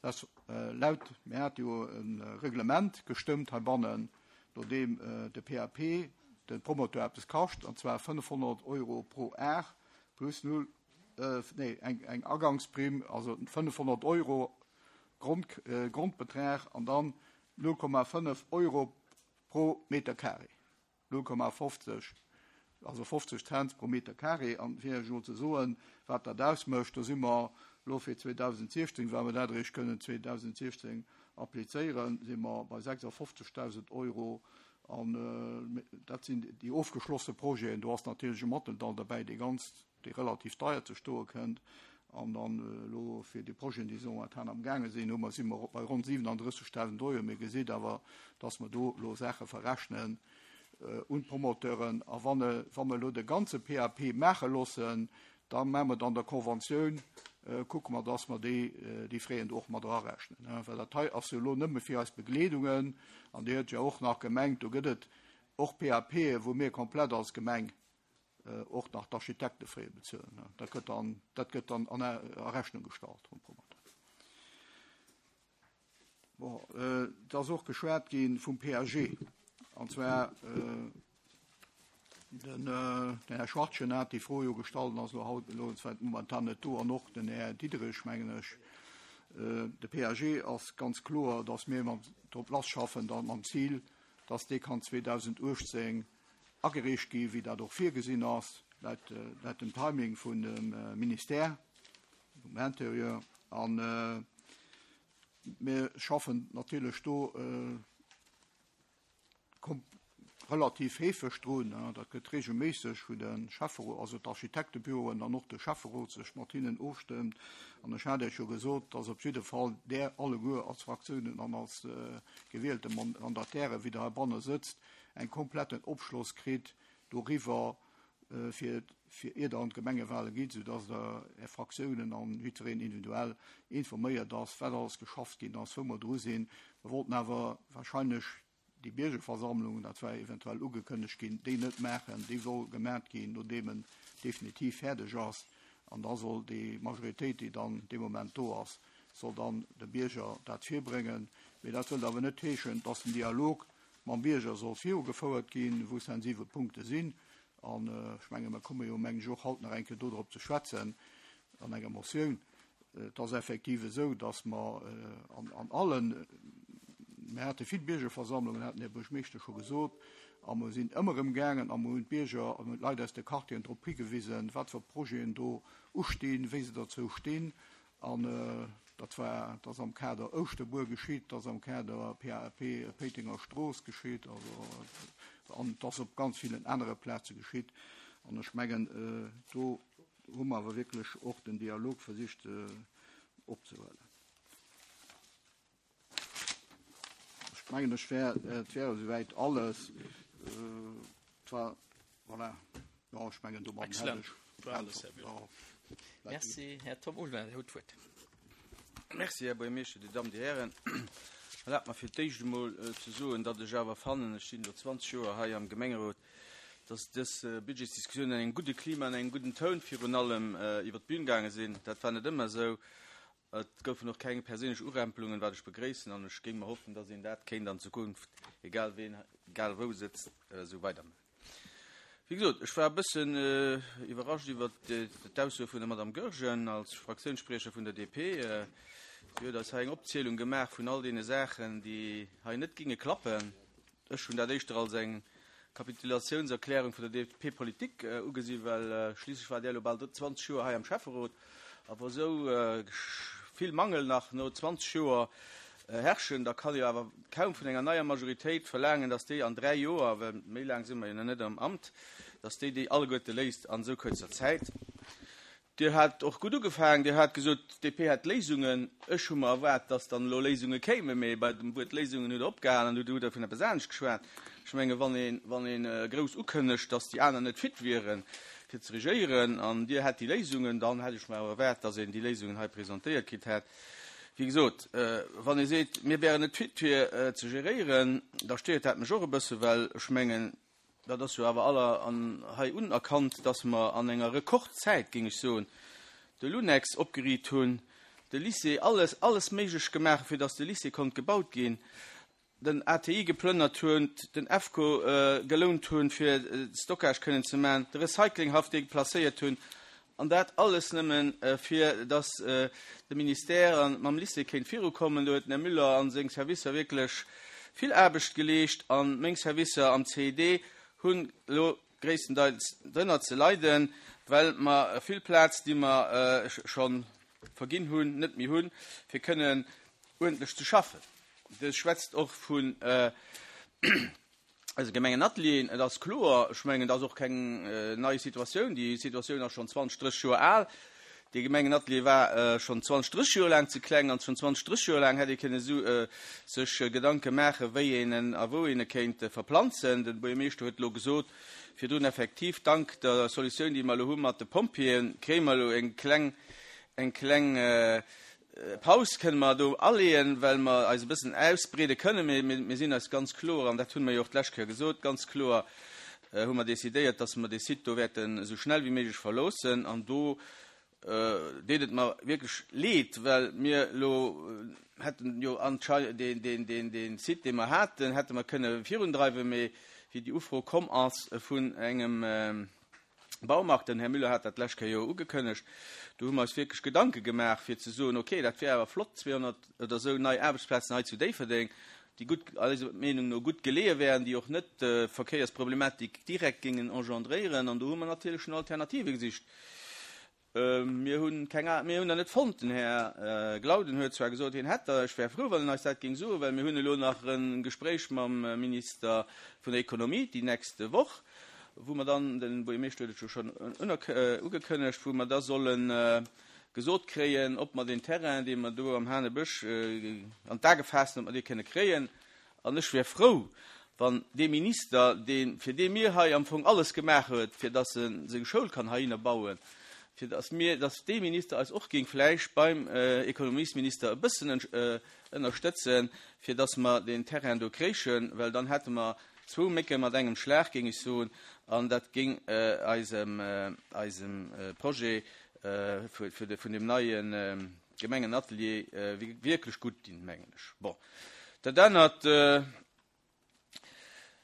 Dat äh, laut, mir hate jo e Reglement gestëmmt heibannen, nodeem äh, de P A P de Promoteur eppes kascht, an zwar fënnefhonnert Euro pro Ar plus null, äh, nee, eng, eng Agangsprimm, also fënnefhonnert Euro Grond, äh, Grondbetrag an dann null Komma fënnef Euro pro Meter carré. null Komma fofzeg, also fofzeg Cent pro Meter carré. An fir elo ze soen, wat dat ausmécht, do si mer elo fir zweedausendsiechzéng, well mer dat eréischt kënnen zweedausendsiechzéng applizéieren, si mer bei sechsafofzegdausend Euro. An äh, dat sinn déi ofgeschlosse Projeten, do ass natierlech e Matteldall derbäi, dee ganz, dee relativ deier ze stoe kënnt. An dann elo fir déi Projeten, déi momentan am gaange sinn, hu mer si mer bei ronn siwenandrëssegdausend Euro. Mir gesitt awer, dass mer do elo Saache verrechnen un d'Promoteuren. A wann, wa mer elo de ganze P A P maache loossen, da maache mer dann der Konventioun, kucke mer, dass mer déi, déi Fräen do och mat erarechnen. Well dat hei ass jo elo nëmme fir eis Begleedungen. An Dir huet jo och nach gemengt, do gëtt et och P A P, wou mir komplett als Gemeng och nach d'Architektefraie bezuelen. Dat gëtt dann, dat gëtt dann an a Rechnung gestallt vum Promoteur. Bon, et ass och geschwat gi vum P A G. An zwar den, den Här Schwartgen hat déi Fro jo gestallt, ass elo haut elo zwar momentan net do, an och den Här Diderich, mengen ech. De P A G ass ganz kloer, dass mir mam, drop lass schaffen, dann mam Zil, dass dee kann zweedausenduechtzéng agereecht gi, wéi dat och virgesinn ass, laut, laut dem Timing vun dem Ministère vum Intérieur. An mir schaffen natierlech do relativ heefeg drun. Dat gëtt regelméisseg vun de Schäfferot, also d'Architektebüroen, dann och de Schäfferot sech mat hinnen ofstëmmt. An ech hat Iech jo gesot, dass op jidde Fall där alleguer als Fraktiounen an als gewielte Mandataire, wéi der heibanne sëtzt, eng kompletten Opschloss kritt doriwwer, fir fir ier der an d'Gemengewale gitt, soudass der Är Fraktiounen an jiddwereen individuell informéiert ass, wat alles geschafft ginn ass, wou mer dru sinn. Mer wollten awer wahrscheinlech déi Biergerversammlung, dat war eventuell ugekënnegt ginn, déi net maachen. Déi soll gemaat ginn, nodeem en definitiv fäerdeg ass. An da soll déi Majoritéit, déi dann dee Moment do ass, soll dann de Bierger dat virbréngen. Mee dat wëllt awer net heeschen, dass den Dialog mam Bierger soll virugefouert ginn, wou sensibel Punkte sinn. An ech menge mer komme jo, mengen ech, och haut nach eng Kéier dodrop ze schwätzen an enger Motioun. Et ass effektiv esou, dass mer an, an allen, mir hate vill Biergerversammlungen, hat den Här Buergermeeschter scho gesot, a mer sinn ëmmer erëm gaangen a mer hunn d'Bierger an d'Leit aus de Quartieren drop higewisen, wat fir Projeten do ustinn, wéi se dozou stinn. An dat war, dat ass am Kader Ouschterbuer geschitt, dat ass am Kader P A P Péitenger Strooss geschitt, also an dat ass op ganz villen anere Plaze geschitt. An ech mengen, do hu mer awer wierklech och den Dialog versicht opzehuelen. Ech mengen, ech wär, et wär esouwäit alles. Et war, voilà, jo, ech mengen, domadden hätt Excellent. ech War alles, Här Bühler. Ja. Merci, Här Tom Ulmer, Dir hutt d'Wuert. Merci, Här Buergermeeschter, Dir Dammen, Dir Hären. Erlaabt mer fir d'éischt emol ze soen, datt ech awer fannen, ech sinn elo zwanzeg Joer hei am Gemengerot, datt dës Budgetsdiskussioun an engem gudde Klima, an engem gudden Toun virun allem iwwer d'Bün gaange sinn. Dat war net ëmmer esou. Et goufen och keng perséinlech Urempelungen, wat ech begréissen, an ech géing mer hoffen, datt een dat kéint an Zukunft, egal ween, egal wou sëtzt, esou weidermaachen. Wéi gesot, ech war e bëssen iwwerrascht iwwer d'Ausso vun der Madame Goergen als Fraktiounsspriecher vun der D P. Si huet eis hei eng Opzielung gemaach vun all deene Saachen, déi hei net ginge klappen. Ech hunn dat éischter als eng Kapitulatiounserklärung vun der D P-Politik ugesinn, well schliisslech war Där elo bal zwanzeg Joer hei am Schäfferot. A wa sou vill Mangel nach no zwanzeg Joer herrschen, da kann ee jo awer kaum vun enger neier Majoritéit verlaangen, dass déi an dräi Joer, well méi laang si mer jo nach net am Amt, dass déi déi alleguerte léist an esou kuerzer Zäit. Dir hat och gutt ugefaangen, Dir hat gesot, d'D P hätt Léisungen. Ech hu mer erwaart, dass dann elo Léisunge kéimen, mee bei dem Wuert Léisungen hutt Der opgehalen an hutt Der vun eppes anescht geschwat. Ech menge wann een, wann een grouss ukënnegt, dass déi aner net fit wieren, fir ze regéieren, an Dir hätt déi Léisungen, dann hätt ech mer awer erwaart, dass een déi Léisungen hei presentéiert kritt hätt. Wéi gesot, wann ee seet, mir wären net fit fir ze geréieren, da stéiert dat mech och e bësse, well ech mengen, dat ass jo awer aller an hei unerkannt, dass mer an enger Rekordzäit, géing ech soen, de Lunex opgeriicht hunn, de Lycée, alles, alles méiglech gemaach, fir dass de Lycée konnt gebaut ginn, den A T I geplënnert hunn, den EFCO gelount hunn, fir Stockage kënnen ze maachen, de Recyclinghaff deplacéiert hunn, an dat alles nëmmen, fir dass de Ministère mam Lycée kéint virukommen. Do huet den Här Müller an seng Servicer wierklech vill Aarbecht geleescht, an meng Servicer am C I D hunn elo gréisstendeels drënner ze leiden, well mer vill Plaz, déi mer scho verginn hunn, net méi hunn, fir kënnen uerdentlech ze schaffen. Dir schwätzt och vun eise Gemengenatelieren. Et ass kloer, ech mengen, dat ass och keng nei Situatioun. Déi Situatioun ass schonn zwanzeg, drësseg Joer al. Dee Gemengenatelier war schonn zwanzeg, drësseg Joer laang ze kleng an schonn zwanzeg, drësseg Joer laang hätt ee kënne sech Gedanke maachen, wéi een en a wou een e kéint verplanzen. De Buergermeeschter huet elo gesot virdrun, effektiv, dank der Solutioun, déi mer elo hu mat de Pompjeeën, kréie mer elo eng kleng, eng kleng Paus kënne mer do aleeën, well mer eis e bëssen ausbreede kënnen. Mee mir sinn eis ganz kloer, an dat hunn mer jo och d'lescht Kéier gesot, ganz kloer hu mer decidéiert, dass mer dee Site do wäerten esou schnell wéi méiglech verloossen. An do deet et mer wierklech leed, well mir elo hätten jo anscheinend deen, deen, deen, deen Site, dee mer haten, hätte mer kënne virundreiwen, mee wéi déi Ufro komm ass vun engem Baumarkt, den Här Müller hat dat d'lescht Kéier jo ugekënnegt, do hu mer eis wierklech Gedanke gemaach, fir ze soen, okay, dat wär awer flott, zweehonnert oder esou nei Aarbechtsplazen hei zu Déifferdeng, déi gutt, eiser Meenung no gutt geleeë wären, déi och net Verkéiersproblematik direkt géingen engendréieren. An do hu mer natierlech no Alternative gesicht. Mir hunn keng, mir hunn der net fonnt. Den Här Glauden huet zwar gesot, hien hätt der. Ech wär frou, wann en eis dat géing soen, well mir hunn elo nach e Gespréich mam Minister vun der Économie déi nächst Woch, wou mer dann, de Buergermeeschter huet et jo schonn ugekënnegt, wou mer da solle gesot kréien, ob mer deen Terrain, dee mer do am Hanebësch an d'A gefaasst hunn, ob mer dee kënne kréien. An ech wär frou, wann dee Minister, dee fir dee mir hei am Fong alles gemaach huet, fir datt e seng Schoul kann heihinner bauen, fir datt mir, datt dee Minister eis och géing vläicht beim Ekonomiesminister e bëssen ënnerstëtzen, fir datt mer deen Terrain do kréichen, well dann hätte mer zwou Mécke mat engem Schlag, géing ech soen, an dat géing eisem, eisem Projet vun deem neie Gemengenatelier wierklech gutt dinn, mengen ech. Bon, dat anert,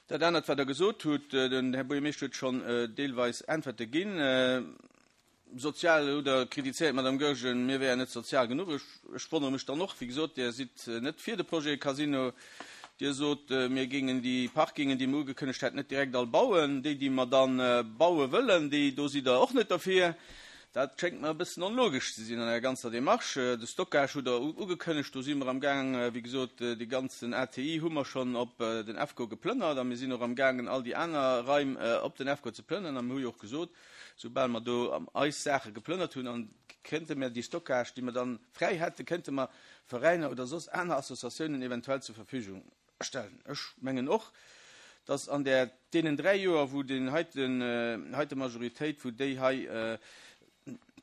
dat anert, wat Der gesot hutt, den Här Buergermeeschter huet schonn deelweis Äntwerte ginn. Sozial hutt Der kritizéiert, Madame Goergen, mir wären net sozial genuch. Ech, ech wonnere mech dann och, wéi gesot, Dir sidd net fir de Projet Casino. Dir sot, mir géingen déi Parkingen, déi mir ugekënnegt hätten, net direkt all bauen. Déi, déi mer dann baue wëllen, déi, do sidd Der och net derfir. Dat schéngt mer e bëssen onlogesch ze sinn an der ganzer Démarche. De Stockage hutt Der ugekënnegt, do si mer am Gaang, wéi gesot, dee ganzen A T I hu mer schonn op den EFCO geplënnert a mir sinn och am gaangen, all déi aner Raim op den EFCO ze plënnern. A mir hu jo och gesot, soubal mer do eis Saache geplënnert hunn, an könnte mer déi Stockage, déi mer dann fräi hätten, könnte mer Veräiner oder soss aner Associatiounen eventuell zur Verfügung stellen. Ech mengen och, dass an der deenen dräi Joer, wou den heiten, heite Majoritéit, wou déi hei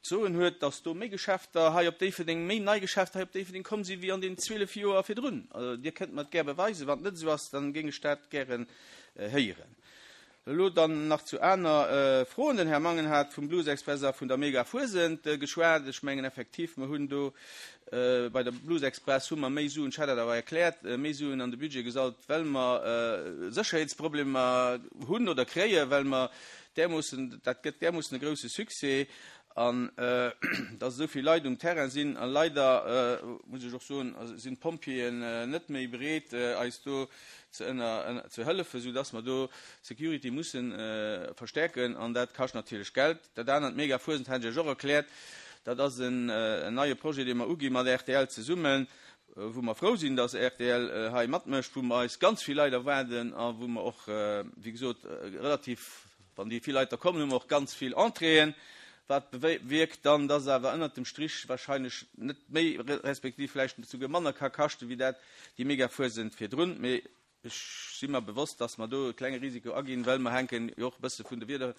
zoen huet, dass do méi Geschäfter hei op Déifferdeng, méi nei Geschäfter hei op Déifferdeng kommen si wéi an den zwielef Joer virdrun. Also, Dir kënnt mer dat gär beweisen, wann et net esou ass, dann géing ech dat gären héieren. Elo dann nach zu aner Froen. Den Här Mangen hat vum Blues Express a vun der Mega Fuesent geschwat. Ech mengen effektiv, mir hunn do bei der Blues Express hu mer méi Suen, ech hat dat awer erkläert, méi Suen an de Budget gesalt, well mer Sécherheetsproblemer hunn oder kréien, well mer därmoossen, dat gëtt därmoossen e grousse Succès an dass esou vill Leit um Terrain sinn an leider, muss ech och soen, sinn d'Pompjeeën net méi bereet, eis do ze ënner, ze hëllefen, sou dass mer do Security mussen verstärken an dat kascht natierlech Geld. Dat anert Mega Fuesent hat ech och erkläert, dat ass en, en neie Projet, dee mer uginn mat R T L zesummen, wou mer frou sinn, dass R T L hei matmécht, wou mer eis ganz vill Leit erwaarden a wou mer och, wéi gesot, relativ, wann déi vill Leit da kommen, hu mer och ganz vill Entréeën. Wat bewirkt dann, dass awer ënnert dem Strich wahrscheinlech net méi, respektiv vläicht souguer manner ka kaschten, wéi dat déi Mega Fuesent virdrun. Mee ech si mir bewosst, dass mer do e klenge Risiko aginn, well mer hänken jo och e bësse vun de Wieder,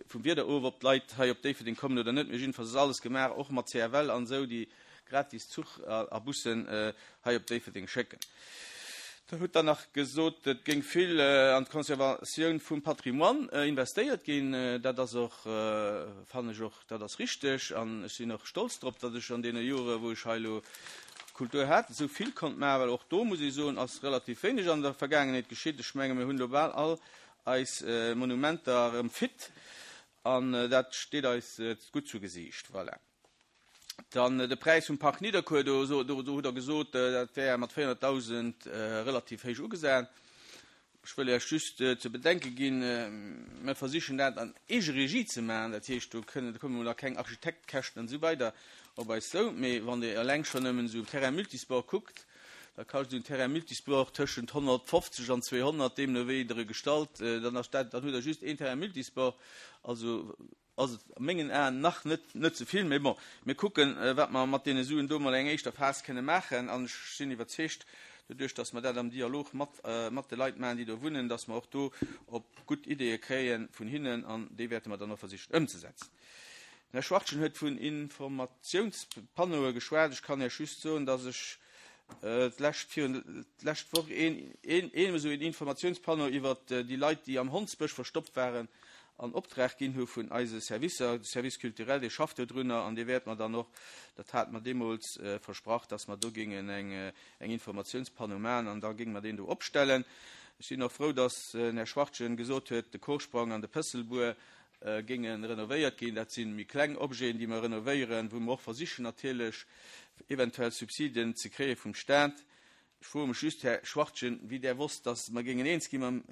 vum Wieder of, ob d'Leit hei op Déifferdeng kommen oder net. Mee jedenfalls ass alles gemaach, och mat C F L an esou, déi gratis Zuch a Bussen hei op Déifferdeng schécken. Da huet dann nach gesot, et géing vill an d'Konservatioun vum Patrimoine investéiert ginn. Dat ass och, fannen ech och, dat ass richteg. An ech sinn och stolz drop, datt ech an deene Jore, wou ech hei elo Kultur hat, esou vill konnt maachen, well och do, muss ech soen, ass relativ wéineg an der Vergaangenheet geschitt. Ech menge, mir hunn elo bal all eis Monumenter erëm fit an dat steet eis gutt zu Gesicht. Voilà. Dann de Preis vum Park Nidderkuer, do, do, do huet er gesot, dat wär mat véierhonnertdausend relativ héich ugesat. Ech wëll Iech just ze bedenke ginn, mir versichen dat an Eegeregie ze maachen, dat heescht, do kënnen, do kommen da keng Architektkäschten an esou weider op eis zou, mee wann Dir eleng schonn nëmmen esou Terrain Multisport kuckt, da kascht esou en Terrain Multisport tëschent honnertfofzeg an zweehonnert, deemno wéi der e gestalt, dann ass dat, dann hutt Der just een Terrain Multisport, also ass et a mengen Aen nach net net ze vill. Mee bon, mir kucken, wat mer mat deene Suen do mol eng éischter Phas kënne maachen. An ech sinn iwwerzeegt, doduerch dass mer dat am Dialog mat mat de Leit maachen, déi do wunnen, dass mer och do op gutt Ideeë kréie vun hinnen an déi wäerte mer dann och versichen ëmzesetzen. Den Här Schwachtgen huet vun Informatiounspanneaue geschwat. Ech kann Iech just soen, dass ech d'lescht virun d'lescht Woch een een een esou een Informatiounspanneau iwwert déi Leit, déi am Hondsbësch verstoppt waren, an Optrag ginn hu vun eise Servicer. De Service culturel, dee schafft dodrunner an dee wäert mer dann och, dat hate mer deemools versprach, dass mer do géingen eng eng Informatiounspanneau maachen an da géinge mer deen do opstellen. Ech sinn och frou, dass den Här Schwachtgen gesot huet, de Korsprong an de Pësselbuer géinge renovéiert ginn. Dat si méi kleng Objeten, déi mer renovéieren, wou mer och versichen natierlech eventuell Subsiden ze kréie vum Stat. Ech froe mech just, Här Schwachtgen, wéi Der wosst, dass mer géingen eens gi mam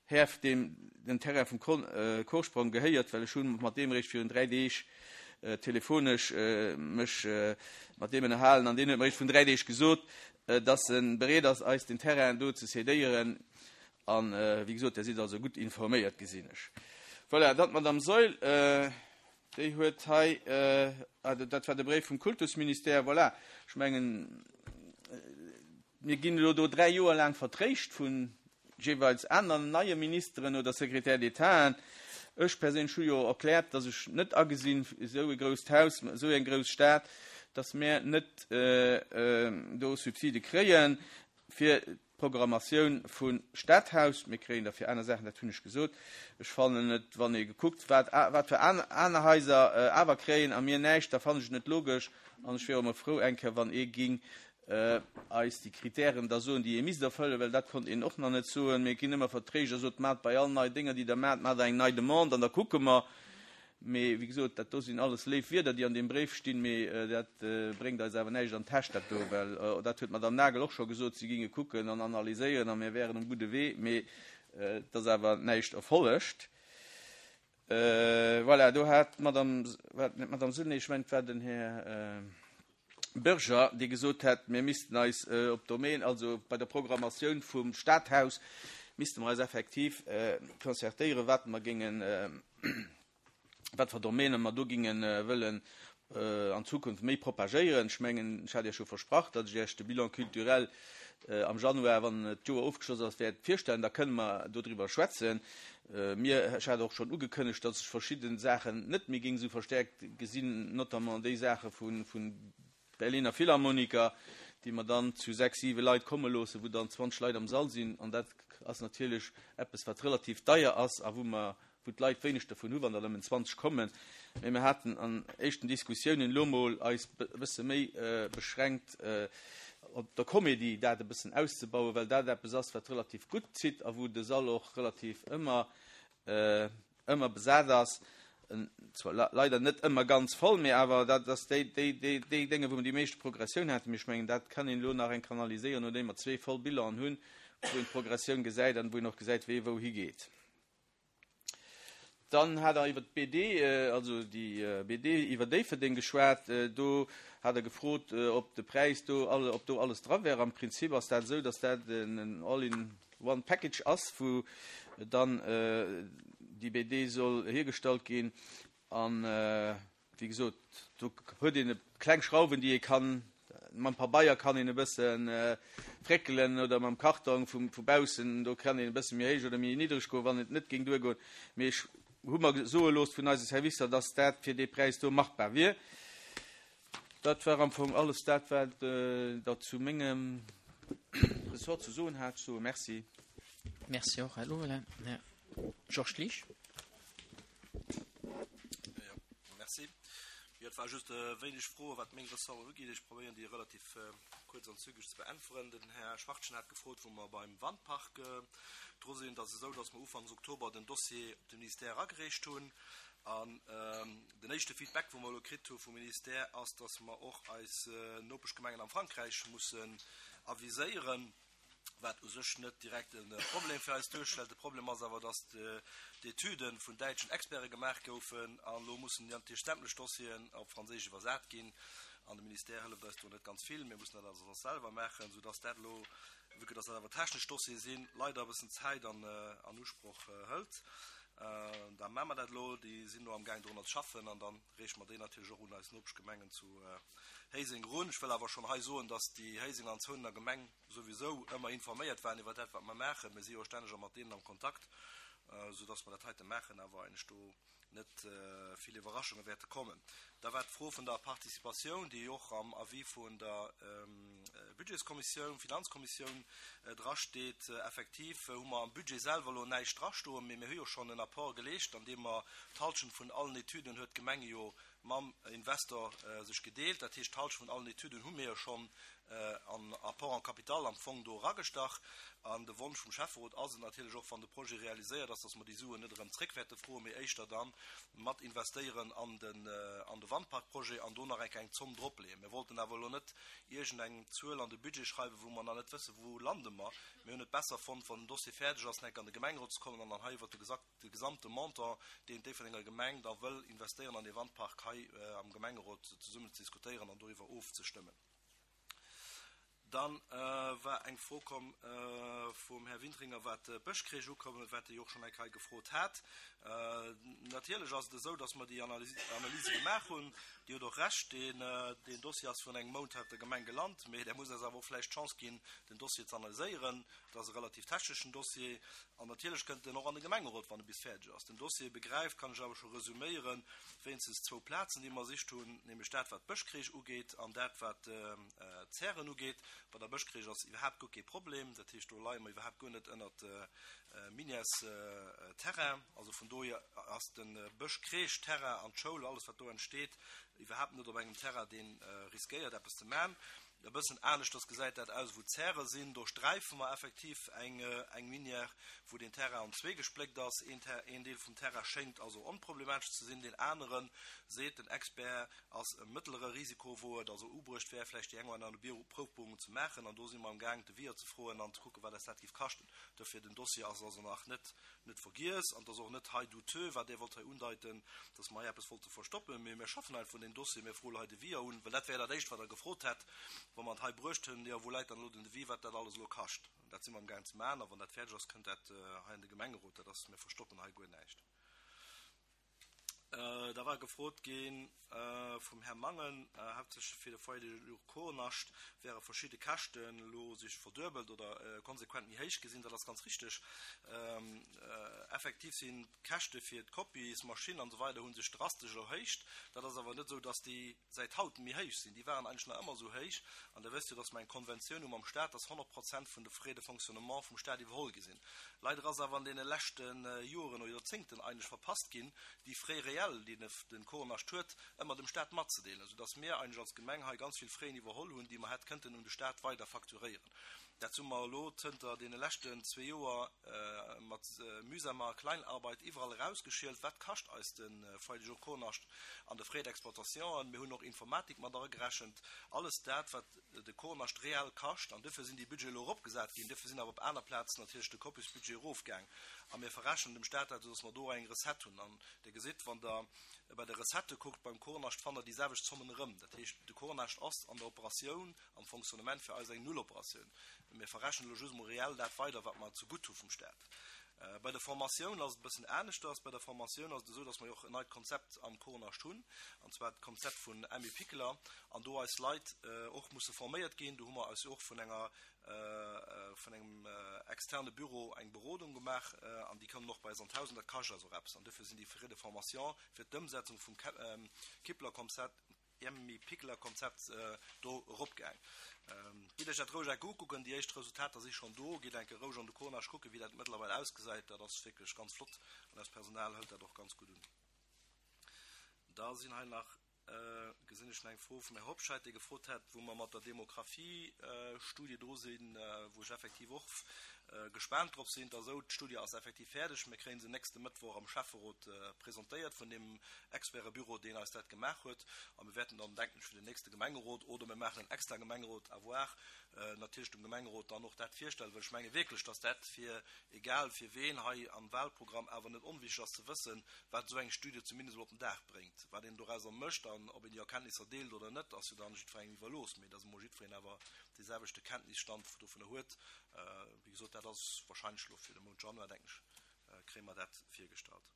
Här, deem den Terrain vum Korsprong gehéiert, well ech hu mat deem eréischt virun dräi Deeg telefonesch mech mat deem ënnerhalen an deen huet mer eréischt virun dräi Deeg gesot, dass e bereet ass, eis den Terrain do ze cédéieren. A wéi gesot, Der sidd also gutt informéiert, gesinn ech. Voilà, dann d'Madame Saeul, déi huet hei, ah, dat war de Bréif vum Kultusministère, voilà, ech mengen, mir ginn elo do dräi Joer laang vertréischt vu jeeweils aneren neie Ministeren oder Secrétaires d'Étaten. Ech perséinlech hu jo erkläert, datt ech net agesinn, esou e grousst Haus, esou eng grouss Stad, datt mir net do Subside kréien fir d'Programmatioun vum Stadhaus. Mir kréien der fir aner Saachen, dat hunn ech gesot. Ech fannen et, wann ee gekuckt, wat wat fir aner Haiser awer kréien a mir näischt, da fannen ech et net logesch. An ech wier och emol frou eng Kéier, wann ee ging eis déi Kritären da soen, déi ee misst erfëllen, well dat konnt een och nach net soen. Mir ginn ëmmer vertréischt a sot, Maacht bei all nei Dénger, déi Der maacht, maacht Der eng nei Demande an da kucke mer. Mee wéi gesot, dat do sinn alles léif Wierder, déi an deem Bréif stinn, mee dat bréngt eis awer näischt an d'Täsch, dat do, well dat huet d'Madame Nagel och scho gesot, si ginge kucken an analyséieren a mir wären um gudde Wee, mee et ass awer näischt erfollegt. Voilà, do hat d'Madame, war et net d'Madame Sulny, ech mengen, et war den Här Bürger, dee gesot hätt, mir missten eis op Domaine, also bei der Programmatioun vum Stadhaus, misste mer eis effektiv concertéieren, wat mer géingen, wat fir Domäne mer do géinge wëllen an Zukunft méi propagéieren. Ech mengen, ech hat Iech scho versprach, datt ech Iech de Bilan culturel am Januar, wann d'Joer ofgeschloss ass, wäert virstellen. Da kënne mer dodriwwer schwätzen. Mir, ech hat och schonn ugekënnegt, datt ech verschidde Saachen net méi géing esou verstärkt gesinn, notamment déi Saache vu Berliner Philharmoniker, déi mer dann zu sechs, siwe Leit komme loossen, wou dann zwanzeg Leit am Sall sinn. An dat ass natierlech eppes, wat relativ deier ass a wou mer, wou d'Leit wéineg dervun hu wann der nëmmen zwanzeg kommen. Mee mir haten an éischten Diskussiounen elo mol eis e bësse méi beschränkt op der Comédie dat e bëssen auszebauen, well dat eppes ass, wat relativ gutt zitt a wou de Sall och relativ ëmmer ëmmer besat ass. Zwar leider net ëmmer ganz voll, mee awer dat ass déi déi déi déi Dénge, wou mer déi meeschte Progressioun haten. Mee ech mengen, dat kann een elo nach eng kanaliséieren, nodeem mer zwee voll Bilanen hunn, wou een d'Progressioun gesäit an wou een och gesäit, wee wou higeet. Dann hat Der iwwer d'B D, also déi B D iwwer Déifferdeng geschwat. Do hat Der gefrot, ob de Präis do, ob do alles dra wär. Am Prinzip ass dat esou, dass dat en All-in-one Package ass, wou dann déi B D soll hiergestallt ginn. An, wéi gesot, do huet een e kleng Schrauwen, déi ee kann, mam Pabeier kann een e bësse fréckelen oder mam Kartong vu vu baussen, do kann een e bësse méi héich oder méi niddreg goen, wann et net géing duergoen. Mee ech hu mer soe looss vun eise Servicer, dass dat fir dee Präis do machbar wier. Dat war am Fong alles dat, wat Der zu mengem Ressort ze soen hat. Ech soe Merci. Merci och, Här Lovelin. Här Georges Liesch. Jo, merci. Jo, et war just e wéineg Froe wat meng Ressorten ugeet. Ech probéieren déi relativ kuerz an zügeg ze beäntweren. Den Här Schwachtgen hat gefrot, wou mer beim Wandpark dru sinn. Et ass esou, datt mer ufanks Oktober den Dossier op de Ministère eragereecht hunn. An den éischte Feedback, wou mer elo kritt hu vum Ministère, ass, datt mer och eis Nopeschgemengen am Frankräich mussen aviséieren. wat u sech net direkt e Problem fir eis duerstellt. De Problem ass awer, dass d'Etüde vun däitschen Experte gemaach goufen an elo mussen natierlech sämtlech Dossieren op Franséisch iwwersat ginn. An de Ministère hëlleft eis do net ganz vill. Mir mussen dat also soss selwer maachen, soudass dat elo, vue que dass dat awer technesch Dossiere sinn, leider e bëssen Zäit an Usproch hëlt. Da maache mer dat elo, déi sinn elo amgaang drunner ze schaffen an dann reeche mer déi natierlech och un eis Nopeschgemengen zu Héiseng erun. Ech wëll awer schonn hei soen, dass déi Héisenger an Zounener Gemeng souwisou ëmmer informéiert waren iwwer dat, wat mer maachen. Mir si jo stänneg och mat deenen am Kontakt, soudass mer dat heite maachen, awer eigentlech do net vill Iwwerraschunge wäerte kommen. Da war d'Fro vun der Participatioun, déi och am Avis vun der Budgetskommissioun, Finanzkommissioun drasteet. Effektiv hu mer am Budget selwer elo näischt drastoen, mee mir hu jo schonn en Apport geleescht, an deem mer d'Halschent vun allen Etüden huet d'Gemeng jo mam Investor sech gedeelt. Dat heescht, d'Halschent vun allen Etüden hu mir jo schonn an Apport en capital am Fong do eragestach. An de Wonsch vum Schäfferot ass et natierlech och, wann de Projet realiséiert ass, dass mer déi Suen net erëm zréck wäerte froen, mee éischter da mat investéieren an den, an de Wandparkprojet an do nach eng kleng Zomm dropleeën. Mir wollten awer elo net iergendeng Zuel an de Budget schreiwen, wou mer nach net wëssen, wou lande mer. Mir hunn et besser fonnt, wann den Dossier fäerdeg ass, nach eng Kéier an de Gemengerot ze kommen an dann hei iwwert de gesamte Montant, deen d'Déifferdenger Gemeng da wëll investéieren an dee Wandpark, hei am Gemengerot zesummen ze diskutéieren an doriwwer ofzestëmmen. Dann war eng Fro komm vum Här Wintringer, wat d'Bëschcrèche ukoum, wat e jo och schonn eng Kéier gefrot hat. Natierlech ass et esou, dass mer déi Analyse gemaach hunn. Dir hutt och Recht, deen Dossier ass virun engem Mount hei op der Gemeng gelant, mee Der musst eis awer och vläicht d'Chance ginn, den Dossier ze analyséieren. Et ass e relativ techneschen Dossier an natierlech kënnt en och an de Gemengerot, wann e bis fäerdeg ass. Den Dossier begräift, kann ech awer scho resuméieren, wéinstens zwou Plazen, déi mer ersicht hunn, nämlech dat, wat d'Bëschcrèche ugeet an dat, wat d'Zären ugeet. Bei der Bëschcrèche ass iwwerhaapt guer kee Problem, dat heescht, do leie mer iwwerhaapt guer net ënnert Minières-Terrain. Also vun dohier ass de Bëschcrèche-Terrain an d'Schoul, alles wat do entsteet, iwwerhaapt net op engem Terrain, dee riskéiert eppes ze man. E bëssen aneschters gesäit dat aus, wou d'Zäre sinn. Do sträife mer effektiv eng eng Minière, wou den Terrain an zwee gespléckt ass. Een Ter een Deel vum Terrain schéngt also onproblematesch ze sinn, deen aneren, seet den Expert, ass e mëttlere Risiko, wou et also ubruecht wär, vläicht déi eng oder aner Bio Proufbohrung ze maachen. An do si mer am Gaang, Devis'er ze froen an ze kucken, wat eis dat géif kaschten. Dofir, den Dossier ass also nach net net vergiess an et ass och net hei douteux, wat Dir wollt hei undeiten, dass mer hei eppes wollte verstoppen, mee mir schaffen einfach un deem Dossier, mir froe hei Devis'er un, well dat wär dat Éischt, wat Der gefrot hätt, wa mer et hei bruecht hunn, jo, wou läit dann elo den Devis, wat dat alles elo kascht. An dat si mer amgaang ze maachen a wann dat fäerdeg ass, kënnt dat hei an de Gemengerot. Dat ass, mir verstoppen hei guer näischt. Da war gefrot gi vum Här Mangen, haaptsächlech fir de Foyer de jour Kornascht wäre verschidde Käschten elo sech verduebelt oder konsequent méi héich gesinn. Dat ass ganz richteg. Effektiv sinn d'Käschte fir d'Kopiesmaschinn an esou weider hu sech drastesch erhéicht. Dat ass awer net esou, dass déi säit haut méi héich sinn. Déi waren eigentlech nach ëmmer esou héich. An Der wësst jo, dass mer eng Konventioun hu mam Stat, dass honnert Prozent vun de Frais de fonctionnement vum Stat iwwerholl gi sinn. Leider ass awer an deene leschte Joren oder Joerzéngten eigentlech verpasst ginn, déi Frais réels, déi de Kornascht huet, ëmmer dem Stat matzedeelen, soudass mir eigentlech als Gemeng hei ganz vill Fraisen iwwerholl hunn, déi mer hätt kënnten un de Stat weider facturéieren. Dat hu mer elo zënter deene leschten zwee Joer mat mühsamer Kleinarbeit iwwerall erausgeschielt, wat kascht eis de Foyer de jour Kornascht an de Frais d'exploitation. Mir hunn och Informatik mat eragerechent, alles dat, wat de Kornascht reell kascht. An duerfir sinn déi Budgete elo eropgesat ginn. Duerfir sinn awer op aner Plazen natierlech de Kopiesbudget erofgaang. A mir verrechnen dem Staat dat, soudass mer do eng Recette hunn. An Der gesitt, wann Der bei de Recettë kuckt beim Kornascht, fannt Der déi selwecht Zommen erëm. Dat heescht, de Kornascht ass an der Operatioun, am Fonctionnement fir eis eng Nulloperatioun. Mir verrechnen elo just emol reell dat weider, wat mer zegutt hu vum Staat. Bei der Formatioun ass et e bëssen aneschters. Bei der Formatioun ass et esou, dass mer jo och en neit Konzept am Kornascht hunn, an zwar d'Konzept vun Emmi Pikler, an do eis Leit och musse forméiert ginn. Do hu mer eis jo och vun enger, vun engem externe Büro eng Berodung gemaach, an déi kommen och bei eis an d'Haus, an dat kascht eis och eppes. An duerfir sinn déi Frais de formation fir d'Ëmsetzung vum Kippler-Konzept, Emmi Pikler Konzept do eropgaang. Gitt Iech dat roueg enke ukucken, déi éischt Resultater si schonn do. Gitt enke roueg an de Cornage kucken, wéi dat mëttlerweil ausgesäit. Dat ass wierklech ganz flott an eist Personal hëlt dat och ganz gutt un. Da sinn hei nach, gesinn ech nach eng Fro vum Här Hobscheit, dee gefrot hat, wou mer mat der Demografiestudie dru sinn, wou ech effektiv och gespaant drop sinn. Et ass esou, d'Studie ass effektiv fäerdeg. Mir kréie se nächste Mëttwoch am Schäfferot presentéiert vun deem Expertebüro, deen eis dat gemaach huet. A mir wäerten dann, denken ech, fir den nächste Gemengerot oder mir maachen en extra Gemengerot, à voir, natierlech dem Gemengerot dann och dat virstellen, well ech menge wierklech, dass dat fir egal fir ween hei am Wahlprogramm awer net onwichtig ass ze wëssen, wat esou eng Studie zumindest emol op den Dag bréngt. Wat een dorauser mécht an ob een déi Erkenntnisser deelt oder net, ass jo dann jiddwerengem iwwerlooss, mee dass emol jiddwereen awer dee selwechte Kenntnisstand dovunner huet. Wéi gesot, dat ass wahrscheinlech elo fir de Mount Januar, denken ech, kréie mer dat virgestallt.